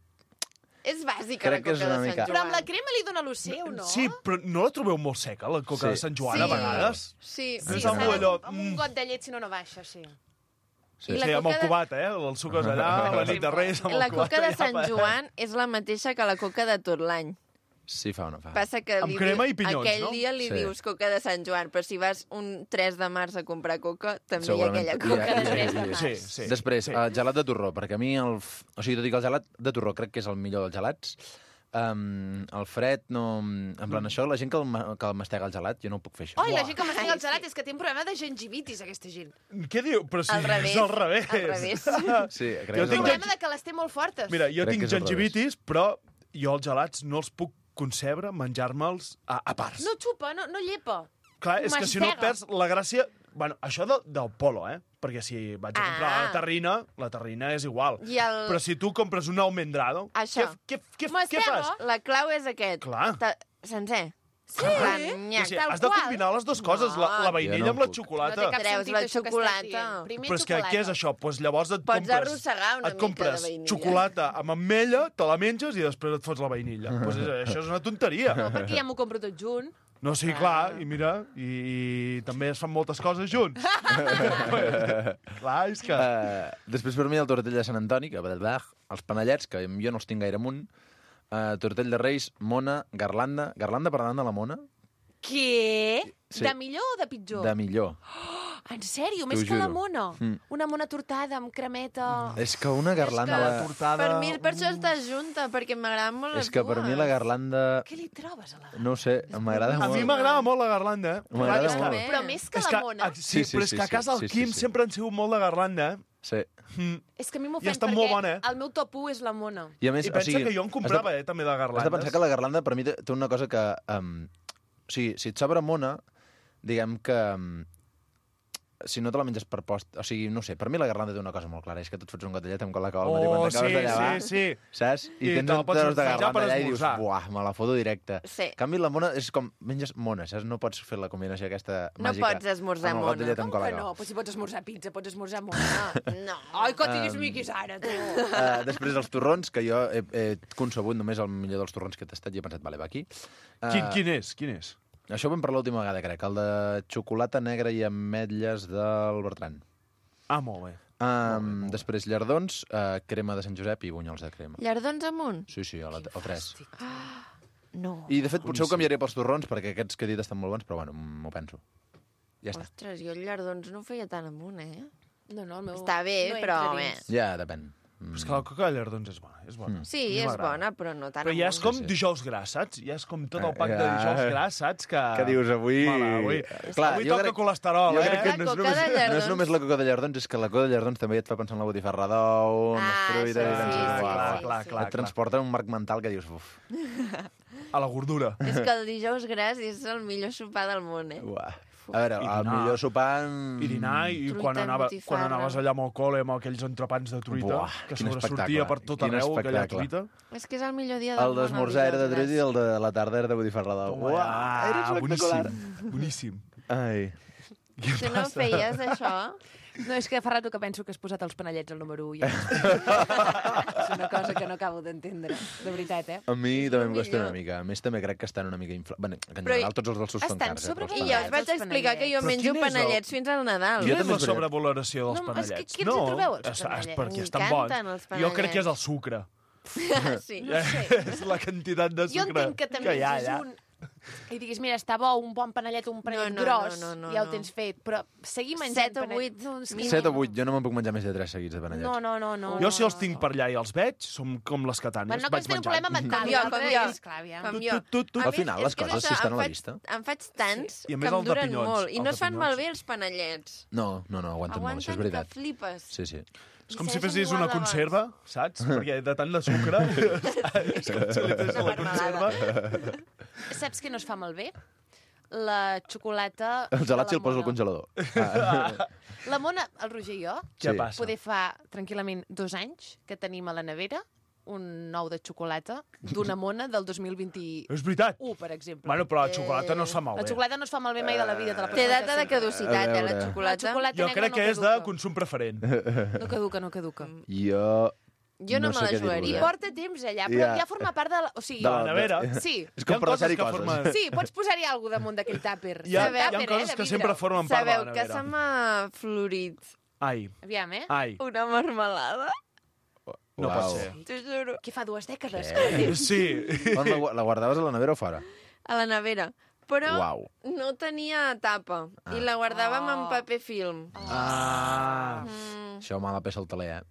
És bàsica Crec que la és coca una de mica- Sant Però amb la Joan. crema li dona l'oceu, no? Sí, però no la trobeu molt seca, la coca Sí. de Sant Joan, Sí. a vegades? Sí, És sí, amb saps? allò... Amb un got de llet, si no, no baixa, sí. Sí. I la Sí, amb el coca de- cubat, el sucres allà, la nit de Reis, amb el La cubat coca de allà, Sant Joan és la mateixa que la coca de tot l'any. Sí, fa o no fa. Passa que Amb crema i pinyons, aquell no? dia li Sí. dius coca de Sant Joan, però si vas un 3 de març a comprar coca, també hi ha Segurament aquella hi ha- coca hi ha- de 3 de hi ha- març. Sí, sí. Després, sí. gelat de torró, perquè a mi o sigui, tot i que el gelat de torró crec que és el millor dels gelats, el fred no... En plan, això, la gent que el mastega el gelat, jo no ho puc fer, això. Oi, la gent que m'estiga el gelat és que té un problema de gingivitis, aquesta gent. Què diu? Però si Al revés. és al revés. Al revés. Sí, crec Jo que és tinc el Un millor. problema de que les té molt fortes. Mira, jo Crec tinc que és al gingivitis, però jo els gelats no els puc concebre menjar-me'ls a parts. No xupa, no llepa. Clar, és que si no mastega. perds la gràcia... Bueno, això del polo, Perquè si vaig a comprar la terrina és igual. I el- Però si tu compres un almendrado, Això. què Mastega. fas? La clau és aquest. Clar. Sencer. Sí, Nyac, O sigui, tal has de qual. combinar les dues coses, la Jo vainilla no amb la puc. xocolata. No té cap Treus sentit la això que estàs xocolata. dient. Primer Però és que xocolata. què és això? Doncs llavors et Pots compres... arrossegar una et mica compres de vainilla. xocolata amb ametlla, te la menges i després et fots la vainilla. Pues això és una tonteria. No, perquè ja m'ho compro tot junt. No, sí, clar, i mira, i també es fan moltes coses junts. Clar, és que... Després per mi el tortell de Sant Antoni, que els panellets, que jo no els tinc gaire amunt, tortell de Reis, mona, garlanda per davant de la mona, Què? Sí. De millor o de pitjor? de millor. En sèrio? Més T'ho que la juro. mona? Una mona tortada amb cremeta... És que una garlanda... És que tortada... Per mi, per això està junta, perquè m'agraden molt les És que per mi la garlanda... Què li trobes a la... No ho sé, m'agrada A molt. mi m'agrada molt la garlanda, eh? M'agrada És que- molt. Però més que és la mona... Sí, però és que a casa el Quim sempre han sigut molt de garlanda, eh? Sí. És que a mi I m'ofèn està perquè molt bona, eh? el meu top 1 és la mona. I a més, I pensa que jo en comprava, també, de Has garlandes. de pensar que la garlanda, per mi, té una cosa que... o sigui, si et sobra mona, diguem que... si no te la menges per post... O sigui, no sé, per mi la garlanda té una cosa molt clara, és que tu et fots un gotellet amb Coca-Cola al matí quan t'acabes de llevar, sí. saps? I I tens te la un pots tros de menjar per garlanda allà i dius, esmorzar. buah, me la foto directe. Sí. En canvi, la mona és com, menges mona, saps? No pots fer la combinació aquesta No màgica. pots esmorzar amb el mona. gotellet amb Com que Coca-Cola. no? Però si pots esmorzar pizza, pots esmorzar mona. No. Ai, que tinguis miquis ara, tu. Després els torrons, que jo he concebut només el millor dels torrons que he tastat i he pensat, vale, va aquí. Quin és? Això ho vam parlar l'última vegada, crec, el de xocolata negra i ametlles del Bertran. Ah, molt bé. Després llardons, crema de Sant Josep i bunyols de crema. Llardons amunt? Sí, o 3. No. I, de fet, potser ho canviaré pels torrons, perquè aquests que he dit estan molt bons, però bueno, m'ho penso. Ja està. Ostres, jo el llardons no ho feia tan amunt, eh? No, el meu... Està bé, no però... entra dins. Ja, depèn. Però és que la coca de llardons és bona. És bona. Sí, A mi és m'agrada. bona, però no tan Però ja és amunt. com dijous gras, saps? Ja és com tot el pack de dijous gras, saps? Que dius, avui... Mala, avui Clar, avui jo toca crec- colesterol, Jo crec que La no és, coca només, de no és llardons. només la coca de llardons, és que la coca de llardons també et fa pensar en la botifarra d'ou, en les fruites... això i sí, penses, sí, uau, sí, clar. Et transporta un marc mental que dius, uf, A la gordura. És que el dijous gras és el millor sopar del món, eh? uah. A veure, I el dinar. millor sopar... I dinar, i Truita quan amb botifarra. quan anaves allà amb el col·le, amb aquells entrepans de truita, Buah, que quin sobresortia espectacle. per tot Quin arreu, aquella espectacle. truita. És que és el millor dia del El món. d'esmorzar era de dijous truita i el de la tarda era de botifarra d'ou. Uah, era espectacular. Boníssim. Ai. gras. Tu no feies això? No, és que fa rato que penso que has posat els panellets al número 1. És una cosa que no acabo d'entendre, de veritat, eh? A mi també em costa millor. una mica. A més, també crec que estan una mica inflats. Bueno, que en Però general tots els dolços són estan cars. però els sobrevalorats. I ja us panellets- vaig explicar que jo Però menjo quin és el- panellets fins al Nadal. Jo Quina és també la és veritat. sobrevaloració dels No, és que panellets? qui els hi trobeu, els és panellets? perquè estan M'encanten bons. els Jo crec que és el panellets. sucre. Sí. No sé. És la quantitat de Jo sucre entenc que també hi ha és allà. un... I diguis, mira, està bo un bon panellet, un panellet No, no, gros, no, no, ja ho no. tens fet, però seguir menjant 7 o 8, No, és que 7 o 8, jo no me'n puc menjar més de 3 seguits de panellets. No. Jo si els tinc per allà i els veig, som com les catànies. Bueno, no vaig pots tenir un menjant. problema mental. Com jo, com l'altre jo. és clar, aviam. Com jo. Tu. A Al mi final, és les que coses, és si això, estan a la em vista. En faig tants I a que més em el de duren pinyons, molt. I el no de es fan pinyons. malbé els panellets. No, aguanten molt, això és Aguanten veritat. que flipes. Sí, sí. És com I si segueixen fessis igual una de bons. conserva, saps? Perquè de tant de sucre... és com si li fes a la conserva. Saps què no es fa malbé? La xocolata... El gelat si de el la poso al mona. congelador. La mona, el Roger i jo, Què Sí. passa? poder fa tranquil·lament 2 anys que tenim a la nevera un nou de xocolata d'una mona del 2021, És veritat. per exemple. Bueno, però la xocolata no es fa La malbé. xocolata no es fa malbé mai de la vida. Te la pots Té menjar data de sempre. caducitat, A la veure. xocolata. La xocolata Jo negra crec no que és de caduca. consum preferent. No caduca, no caduca. Jo... Jo no me sé la què dir-vos, jugaria. I porta temps allà, però Ja. ja forma part de la... O sigui, De la nevera. sí, És com Hi ha per coses deixar-hi que coses. formen- sí, pots posar-hi alguna damunt d'aquell tàper. Hi ha Tàper, coses de que vidre. sempre formen part de Sabeu la que nevera. se m'ha florit Ai, Aviam, ai. una marmelada? No Uau. pot ser. T'ho juro. Que fa 2 dècades. Sí. On la guardaves a la nevera o fora? A la nevera. Però Uau. no tenia tapa. I la guardàvem en paper film. Ah. Això mala peça al taler, eh?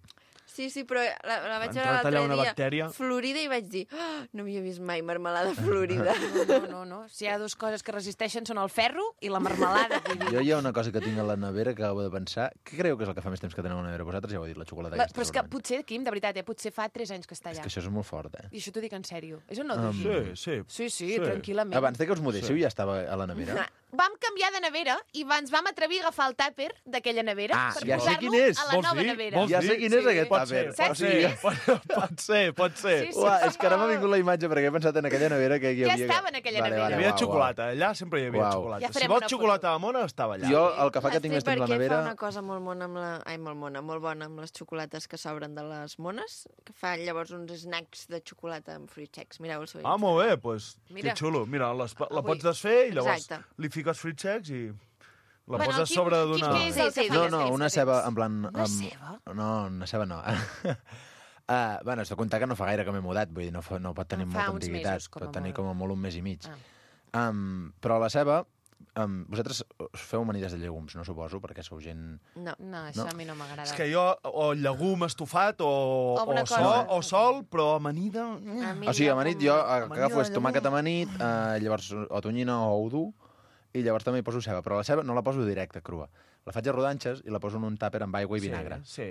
Sí, però la vaig veure Entrat allà l'altre una dia bactèria. florida i vaig dir, no havia vist mai marmelada florida. No. Si hi ha 2 coses que resisteixen són el ferro i la marmelada. Vull dir. Jo hi ha una cosa que tinc a la nevera que acabo de pensar. Què creu que és el que fa més temps que teniu a la nevera? Vosaltres ja ho heu dit, la xocolata aquesta. Però és que segurament. potser, Quim, de veritat, potser fa 3 anys que està És allà. que això és molt fort, eh? I això t'ho dic en sèrio. És o no? Sí, sí. Sí, tranquil·lament. Abans de que us mudéssiu ja estava a la nevera? vam canviar de nevera i ens vam atrevir a agafar el tàper d'aquella nevera per ja sé quin posar-lo és. a la nova nevera. Ja sé quin és aquest tàper. Pot ser. Sí, Uah, és que ara m'ha vingut la imatge perquè he pensat en aquella nevera que hi Ja havia... estava en aquella nevera. Hi havia xocolata, allà sempre hi havia Uau. xocolata. Ja Si farem vols una xocolata de mona, estava allà. Jo, el que fa que tinc més temps a la Perquè nevera... fa una cosa molt bona amb la... Ai, molt bona amb les xocolates que s'obren de les mones, que fa llavors uns snacks de xocolata amb fruits secs. Mireu el seu Ah, molt bé, doncs, Mira. que xulo. Mira, la Avui. pots desfer i llavors Exacte. li fiques fruits secs i la Bueno, poses a quin- sobre quin d'una... que és el que fa No, més no, temps una que ceba, tens? en plan... Una ceba? No, una ceba no. Bueno, has de comptar que no fa gaire que m'he mudat, vull dir, no pot tenir Fa molta uns antiguitat, mesos, com a pot tenir molt. com a molt un mes i mig. Ah. Però la ceba, vosaltres us feu amanides de llegums, no suposo, perquè sou gent... No. No, això No. a mi no m'agrada. És que jo, o llegum estofat, Alguna o sol, però amanida... O sigui, amanit jo agafo de tomàquet amanit, llavors o tonyina o udú, i llavors també hi poso ceba, però la ceba no la poso directa, crua. La faig a rodanxes i la poso en un tàper amb aigua i vinagre. Sí.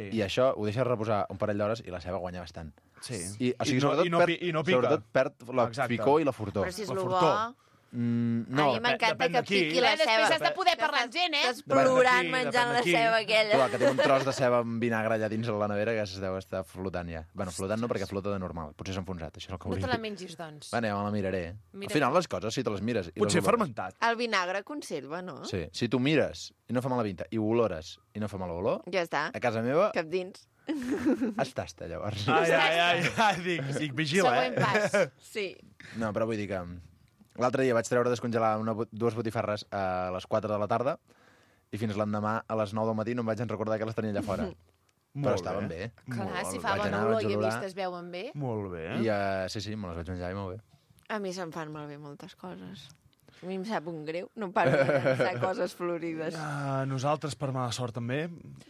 I això ho deixes reposar un parell d'hores i la ceba guanya bastant. Sí. I, o sigui, I no pica. sobretot perd la Exacte. picor i la fortor. Però si és La lo bo... fortor. No, a mi m'encanta depèn que d'aquí. piqui la Després ceba. has de poder parlar amb gent, Estàs Depèn plorant d'aquí, menjant depèn la d'aquí. ceba aquella. clar, que té un tros de ceba amb vinagre allà dins la nevera que es deu estar flotant ja. Bueno, flotant no, perquè flota de normal. Potser s'ha enfonsat, això és el que No volia te la dir. mengis, doncs. Bueno, ja me la miraré. Mira Al final les coses, si te les mires... i Potser les olores- fermentat. El vinagre conserva, no? Sí, si tu mires i no fa mala pinta, i ho olores i no fa mala olor, Ja està. a casa meva Cap dins. es tasta, llavors. Ai, dic, vigila, Següent pas. Sí. No, però vull dir que l'altre dia vaig treure a descongelar dues botifarres a les 4 de la tarda i fins l'endemà a les 9 del matí no em vaig recordar que les tenia allà fora. Però estaven bé. Clar, si Molt fa bé. Vaig bona anar, olor vaig i a olorar. vist es veuen bé. Molt bé. I sí, me les vaig menjar i molt bé. A mi se'm fan malbé moltes coses. A mi em sap un greu. No paro de pensar coses florides. Nosaltres, per mala sort, també.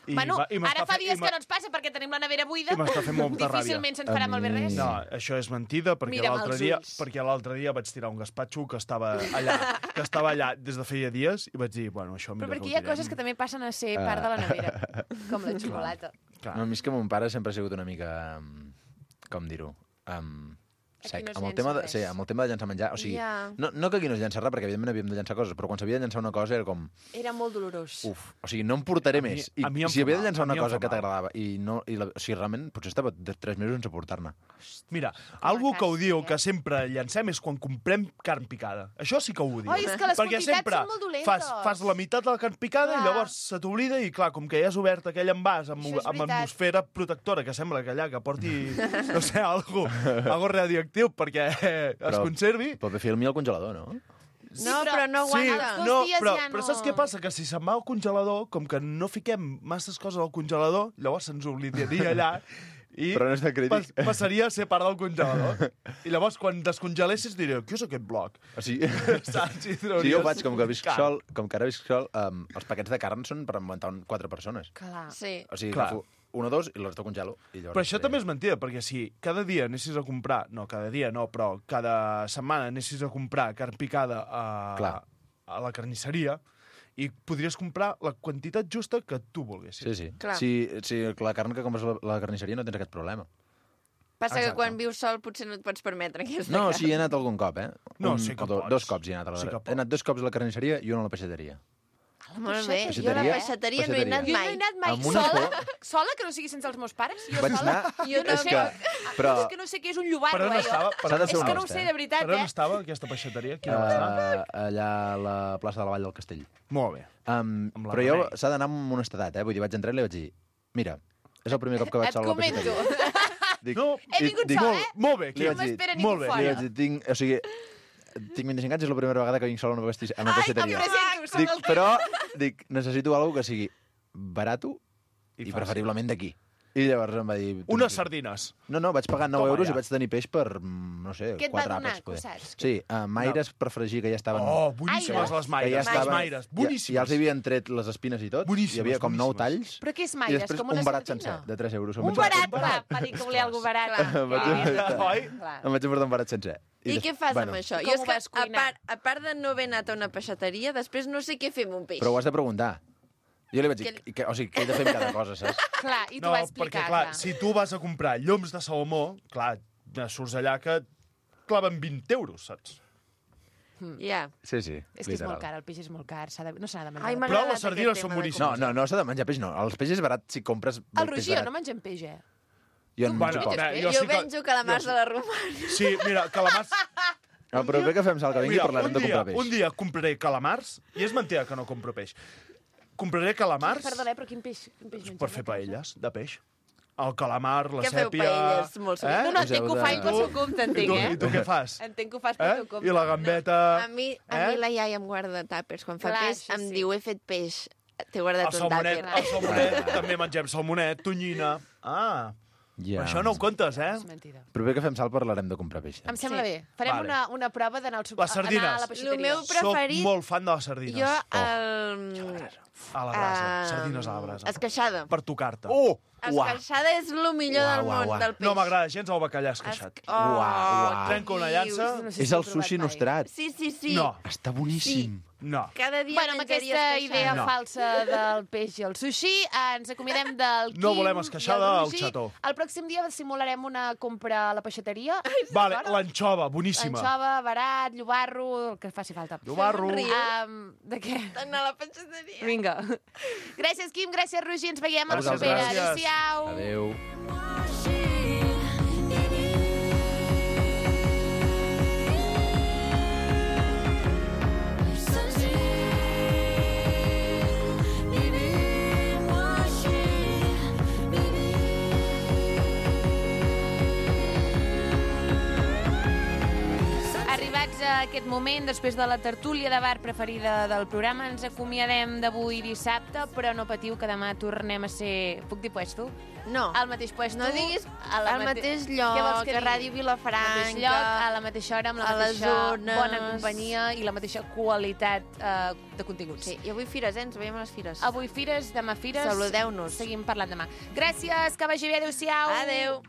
Bueno, ara fa dies que que no ens passa perquè tenim la nevera buida. I m'està fent molta ràbia. Difícilment se'ns farà malbé res. No, això és mentida, perquè Mira'm l'altre als dia, ulls. vaig tirar un gaspatxo que estava allà des de feia dies i vaig dir, bueno, això Però mira perquè que hi ha ho tirem. coses que també passen a ser part de la nevera, com la xocolata. Clar. No, a mi és que mon pare sempre ha sigut una mica... Com dir-ho? Aquí no es amb el llença tema de, res. sí, amb el tema de llançar menjar. O sigui, Ja. no que aquí no es llença res, perquè evidentment havíem de llançar coses, però quan s'havia de llançar una cosa era com... Era molt dolorós. O sigui, no em portaré mi- més. a mi em si fa havia de mal, llançar a mi una em cosa fa que mal. t'agradava o sigui, realment, potser estava 3 mesos sense portar-ne. Mira, algú que ho quasi, diu eh? que sempre llancem és quan comprem carn picada. Això sí que ho diu. Oi, és que les Perquè quantitats sempre són molt dolentes. fas la meitat de la carn picada Clar. i llavors se t'oblida i, clar, com que ja has obert aquell envàs amb, Això és amb veritat. atmosfera protectora, que sembla que allà que porti, no sé, algo radioactiu perquè es conservi. Pot fer filmi al congelador, no? No, però no Sí, aguanta. dos no, dies però, ja no- però saps què passa? Que si se'n va al congelador, com que no fiquem masses coses al congelador, llavors se'ns oblidaria allà i Però no és de crític. passaria a ser part del congelador. I llavors, quan descongelessis, diré, què és aquest bloc? O sigui, Saps? I sí, jo ho faig, com que visc Carn. sol, com que ara visc sol, els paquets de carn són per aguantar 4 persones. Clar. Sí. O sigui, Clar. agafo 1 o 2 i la resta congelo. I llavors, Però això també és mentida, perquè si cada dia anessis a comprar... No, cada dia no, però cada setmana anessis a comprar carn picada Clar. a la carnisseria i podries comprar la quantitat justa que tu volguessis. Sí, sí. Clar. Si la carn que compres a la carnisseria no tens aquest problema. Passa que Exacte. quan vius sol potser no et pots permetre aquesta No, carn. sí, he anat algun cop, eh? No, sí que pots. 2 cops hi he anat. Sí que He anat 2 cops a la carnisseria i 1 a la peixateria. Molt bé. Jo a Peixateria? la peixateria no he anat Jo no he mai. anat mai Amb una sola, por. sola, que no sigui sense els meus pares. Jo Vaig sola. anar... Jo és també. que... Però... És que no sé què és un llobarro, Per on jo. estava? S'ha de ser És que no ho honest, sé, eh? de veritat, Per on eh? estava aquesta peixateria? Quina va estar? allà a la plaça de la Vall del Castell. Molt bé. Amb la Però jo Remei. s'ha d'anar amb honestedat, eh? Vull dir, vaig entrar i li vaig dir, mira, és el primer cop que vaig Et sol a la comento. peixateria. Dic, No, He vingut dic, sola, molt- eh? Molt bé, Li aquí. vaig No dir, m'espera molt ningú bé, li fora. vaig dir, o sigui, tinc 25 anys, és la primera vegada que vinc sol a una Ai, peixateria. em presento, som Dic, el però, necessito alguna que sigui barato i fàcil. preferiblement d'aquí. I llavors em va dir... Unes sardines. No, vaig pagar 9 Toma euros ja. i vaig tenir peix per, no sé, Què et va 4 donar, àpats. que ho poder. saps? Sí, maires per fregir, que ja estaven... Oh, boníssimes Aires. les que maires. ja Les estaven, maires, boníssimes. Ja els havien tret les espines i tot. Boníssimes, Hi havia com 9 boníssimes. talls. Però què és I maires? després Com una un barat sardina? sencer, de 3 euros. Un barat, va dir que volia alguna barat. Em vaig emportar- Oi? em vaig emportar un barat sencer. I què fas amb això? Com Jo és ho que, vas cuinar? a part de no haver anat a una peixateria, després no sé què fer amb un peix. Però ho has de preguntar. Jo li vaig dir, o sigui, què he de fer amb cada cosa, saps? Clar, i t'ho No, va perquè, explicar. clar, si tu vas a comprar lloms de salmó, clar, surts allà que claven 20 euros, saps? Ja. Sí, sí, És que és literal. molt car, el peix és molt car. No s'ha de menjar. Ai, de m'ha Però agradat les sardines aquest són tema de boníssimes. No, s'ha de menjar peix, no. El peix és barat si compres El peix Roger barat. no mengem peix, Jo en menjo Bueno, poc. jo Jo sí que... penjo calamars de la Romana. Sí, mira, calamars... El proper que fem sal que vingui Mira, parlarem de comprar peix. un dia compraré calamars, i és mentida que no compro peix. Compraré calamars Perdona, però quin peix mengem? per fer paelles de peix. El calamar, la Què feu, sèpia... paelles? Molt sovint. No, entenc que ho faig pel seu compte, entenc, I tu què fas? Entenc que ho fas pel seu compte. I la gambeta... A mi la iaia em guarda tàpers. Quan fa Clar, peix això em sí. diu, he fet peix. T'he guardat un tàper. El salmonet, també mengem salmonet, tonyina... Ah, Ja. això no ho comptes, És mentida. El proper que fem sal parlarem de comprar peix. Em sembla bé. Farem Vale. una prova d'anar Les sardines. anar a la El peixateria. meu preferit... Soc molt fan de les sardines. Jo, A la brasa, sardines a la brasa. Esqueixada. Per tocar-te. Esqueixada és el millor del món del peix. No m'agrada gens el bacallà esqueixat. Trenca una llança... És el sushi nostrat. Sí, sí, sí. No, Està boníssim. no. Cada dia Bueno, amb menjaria aquesta esqueixada. idea No. falsa del peix i el sushi, ens acomiadem del Quim No volem esqueixada i el al Roger. xató. El pròxim dia simularem una compra a la peixateria. Vale, l'anxova, boníssima. Anxova, barat, llobarro, el que faci falta. Llobarro. De què? Anar a la peixateria. Vinga. Gràcies, Quim, gràcies, Roger. Ens veiem a la vosaltres. propera. Gràcies. Adéu-siau. Adéu. Arribats a aquest moment, després de la tertúlia de bar preferida del programa, ens acomiadem d'avui dissabte, però no patiu que demà tornem a ser... Puc dir puesto? No. Al mateix puesto. No diguis a la al mateix lloc, Què vols que a digui? Ràdio Vilafranca, Al mateix lloc, a la mateixa hora, amb la a les mateixa zones. bona companyia i la mateixa qualitat de continguts. Sí, i avui fires, ens veiem a les fires. Avui fires, demà fires. Saludeu-nos. Seguim parlant demà. Gràcies, que vagi bé, adéu-siau. Adéu.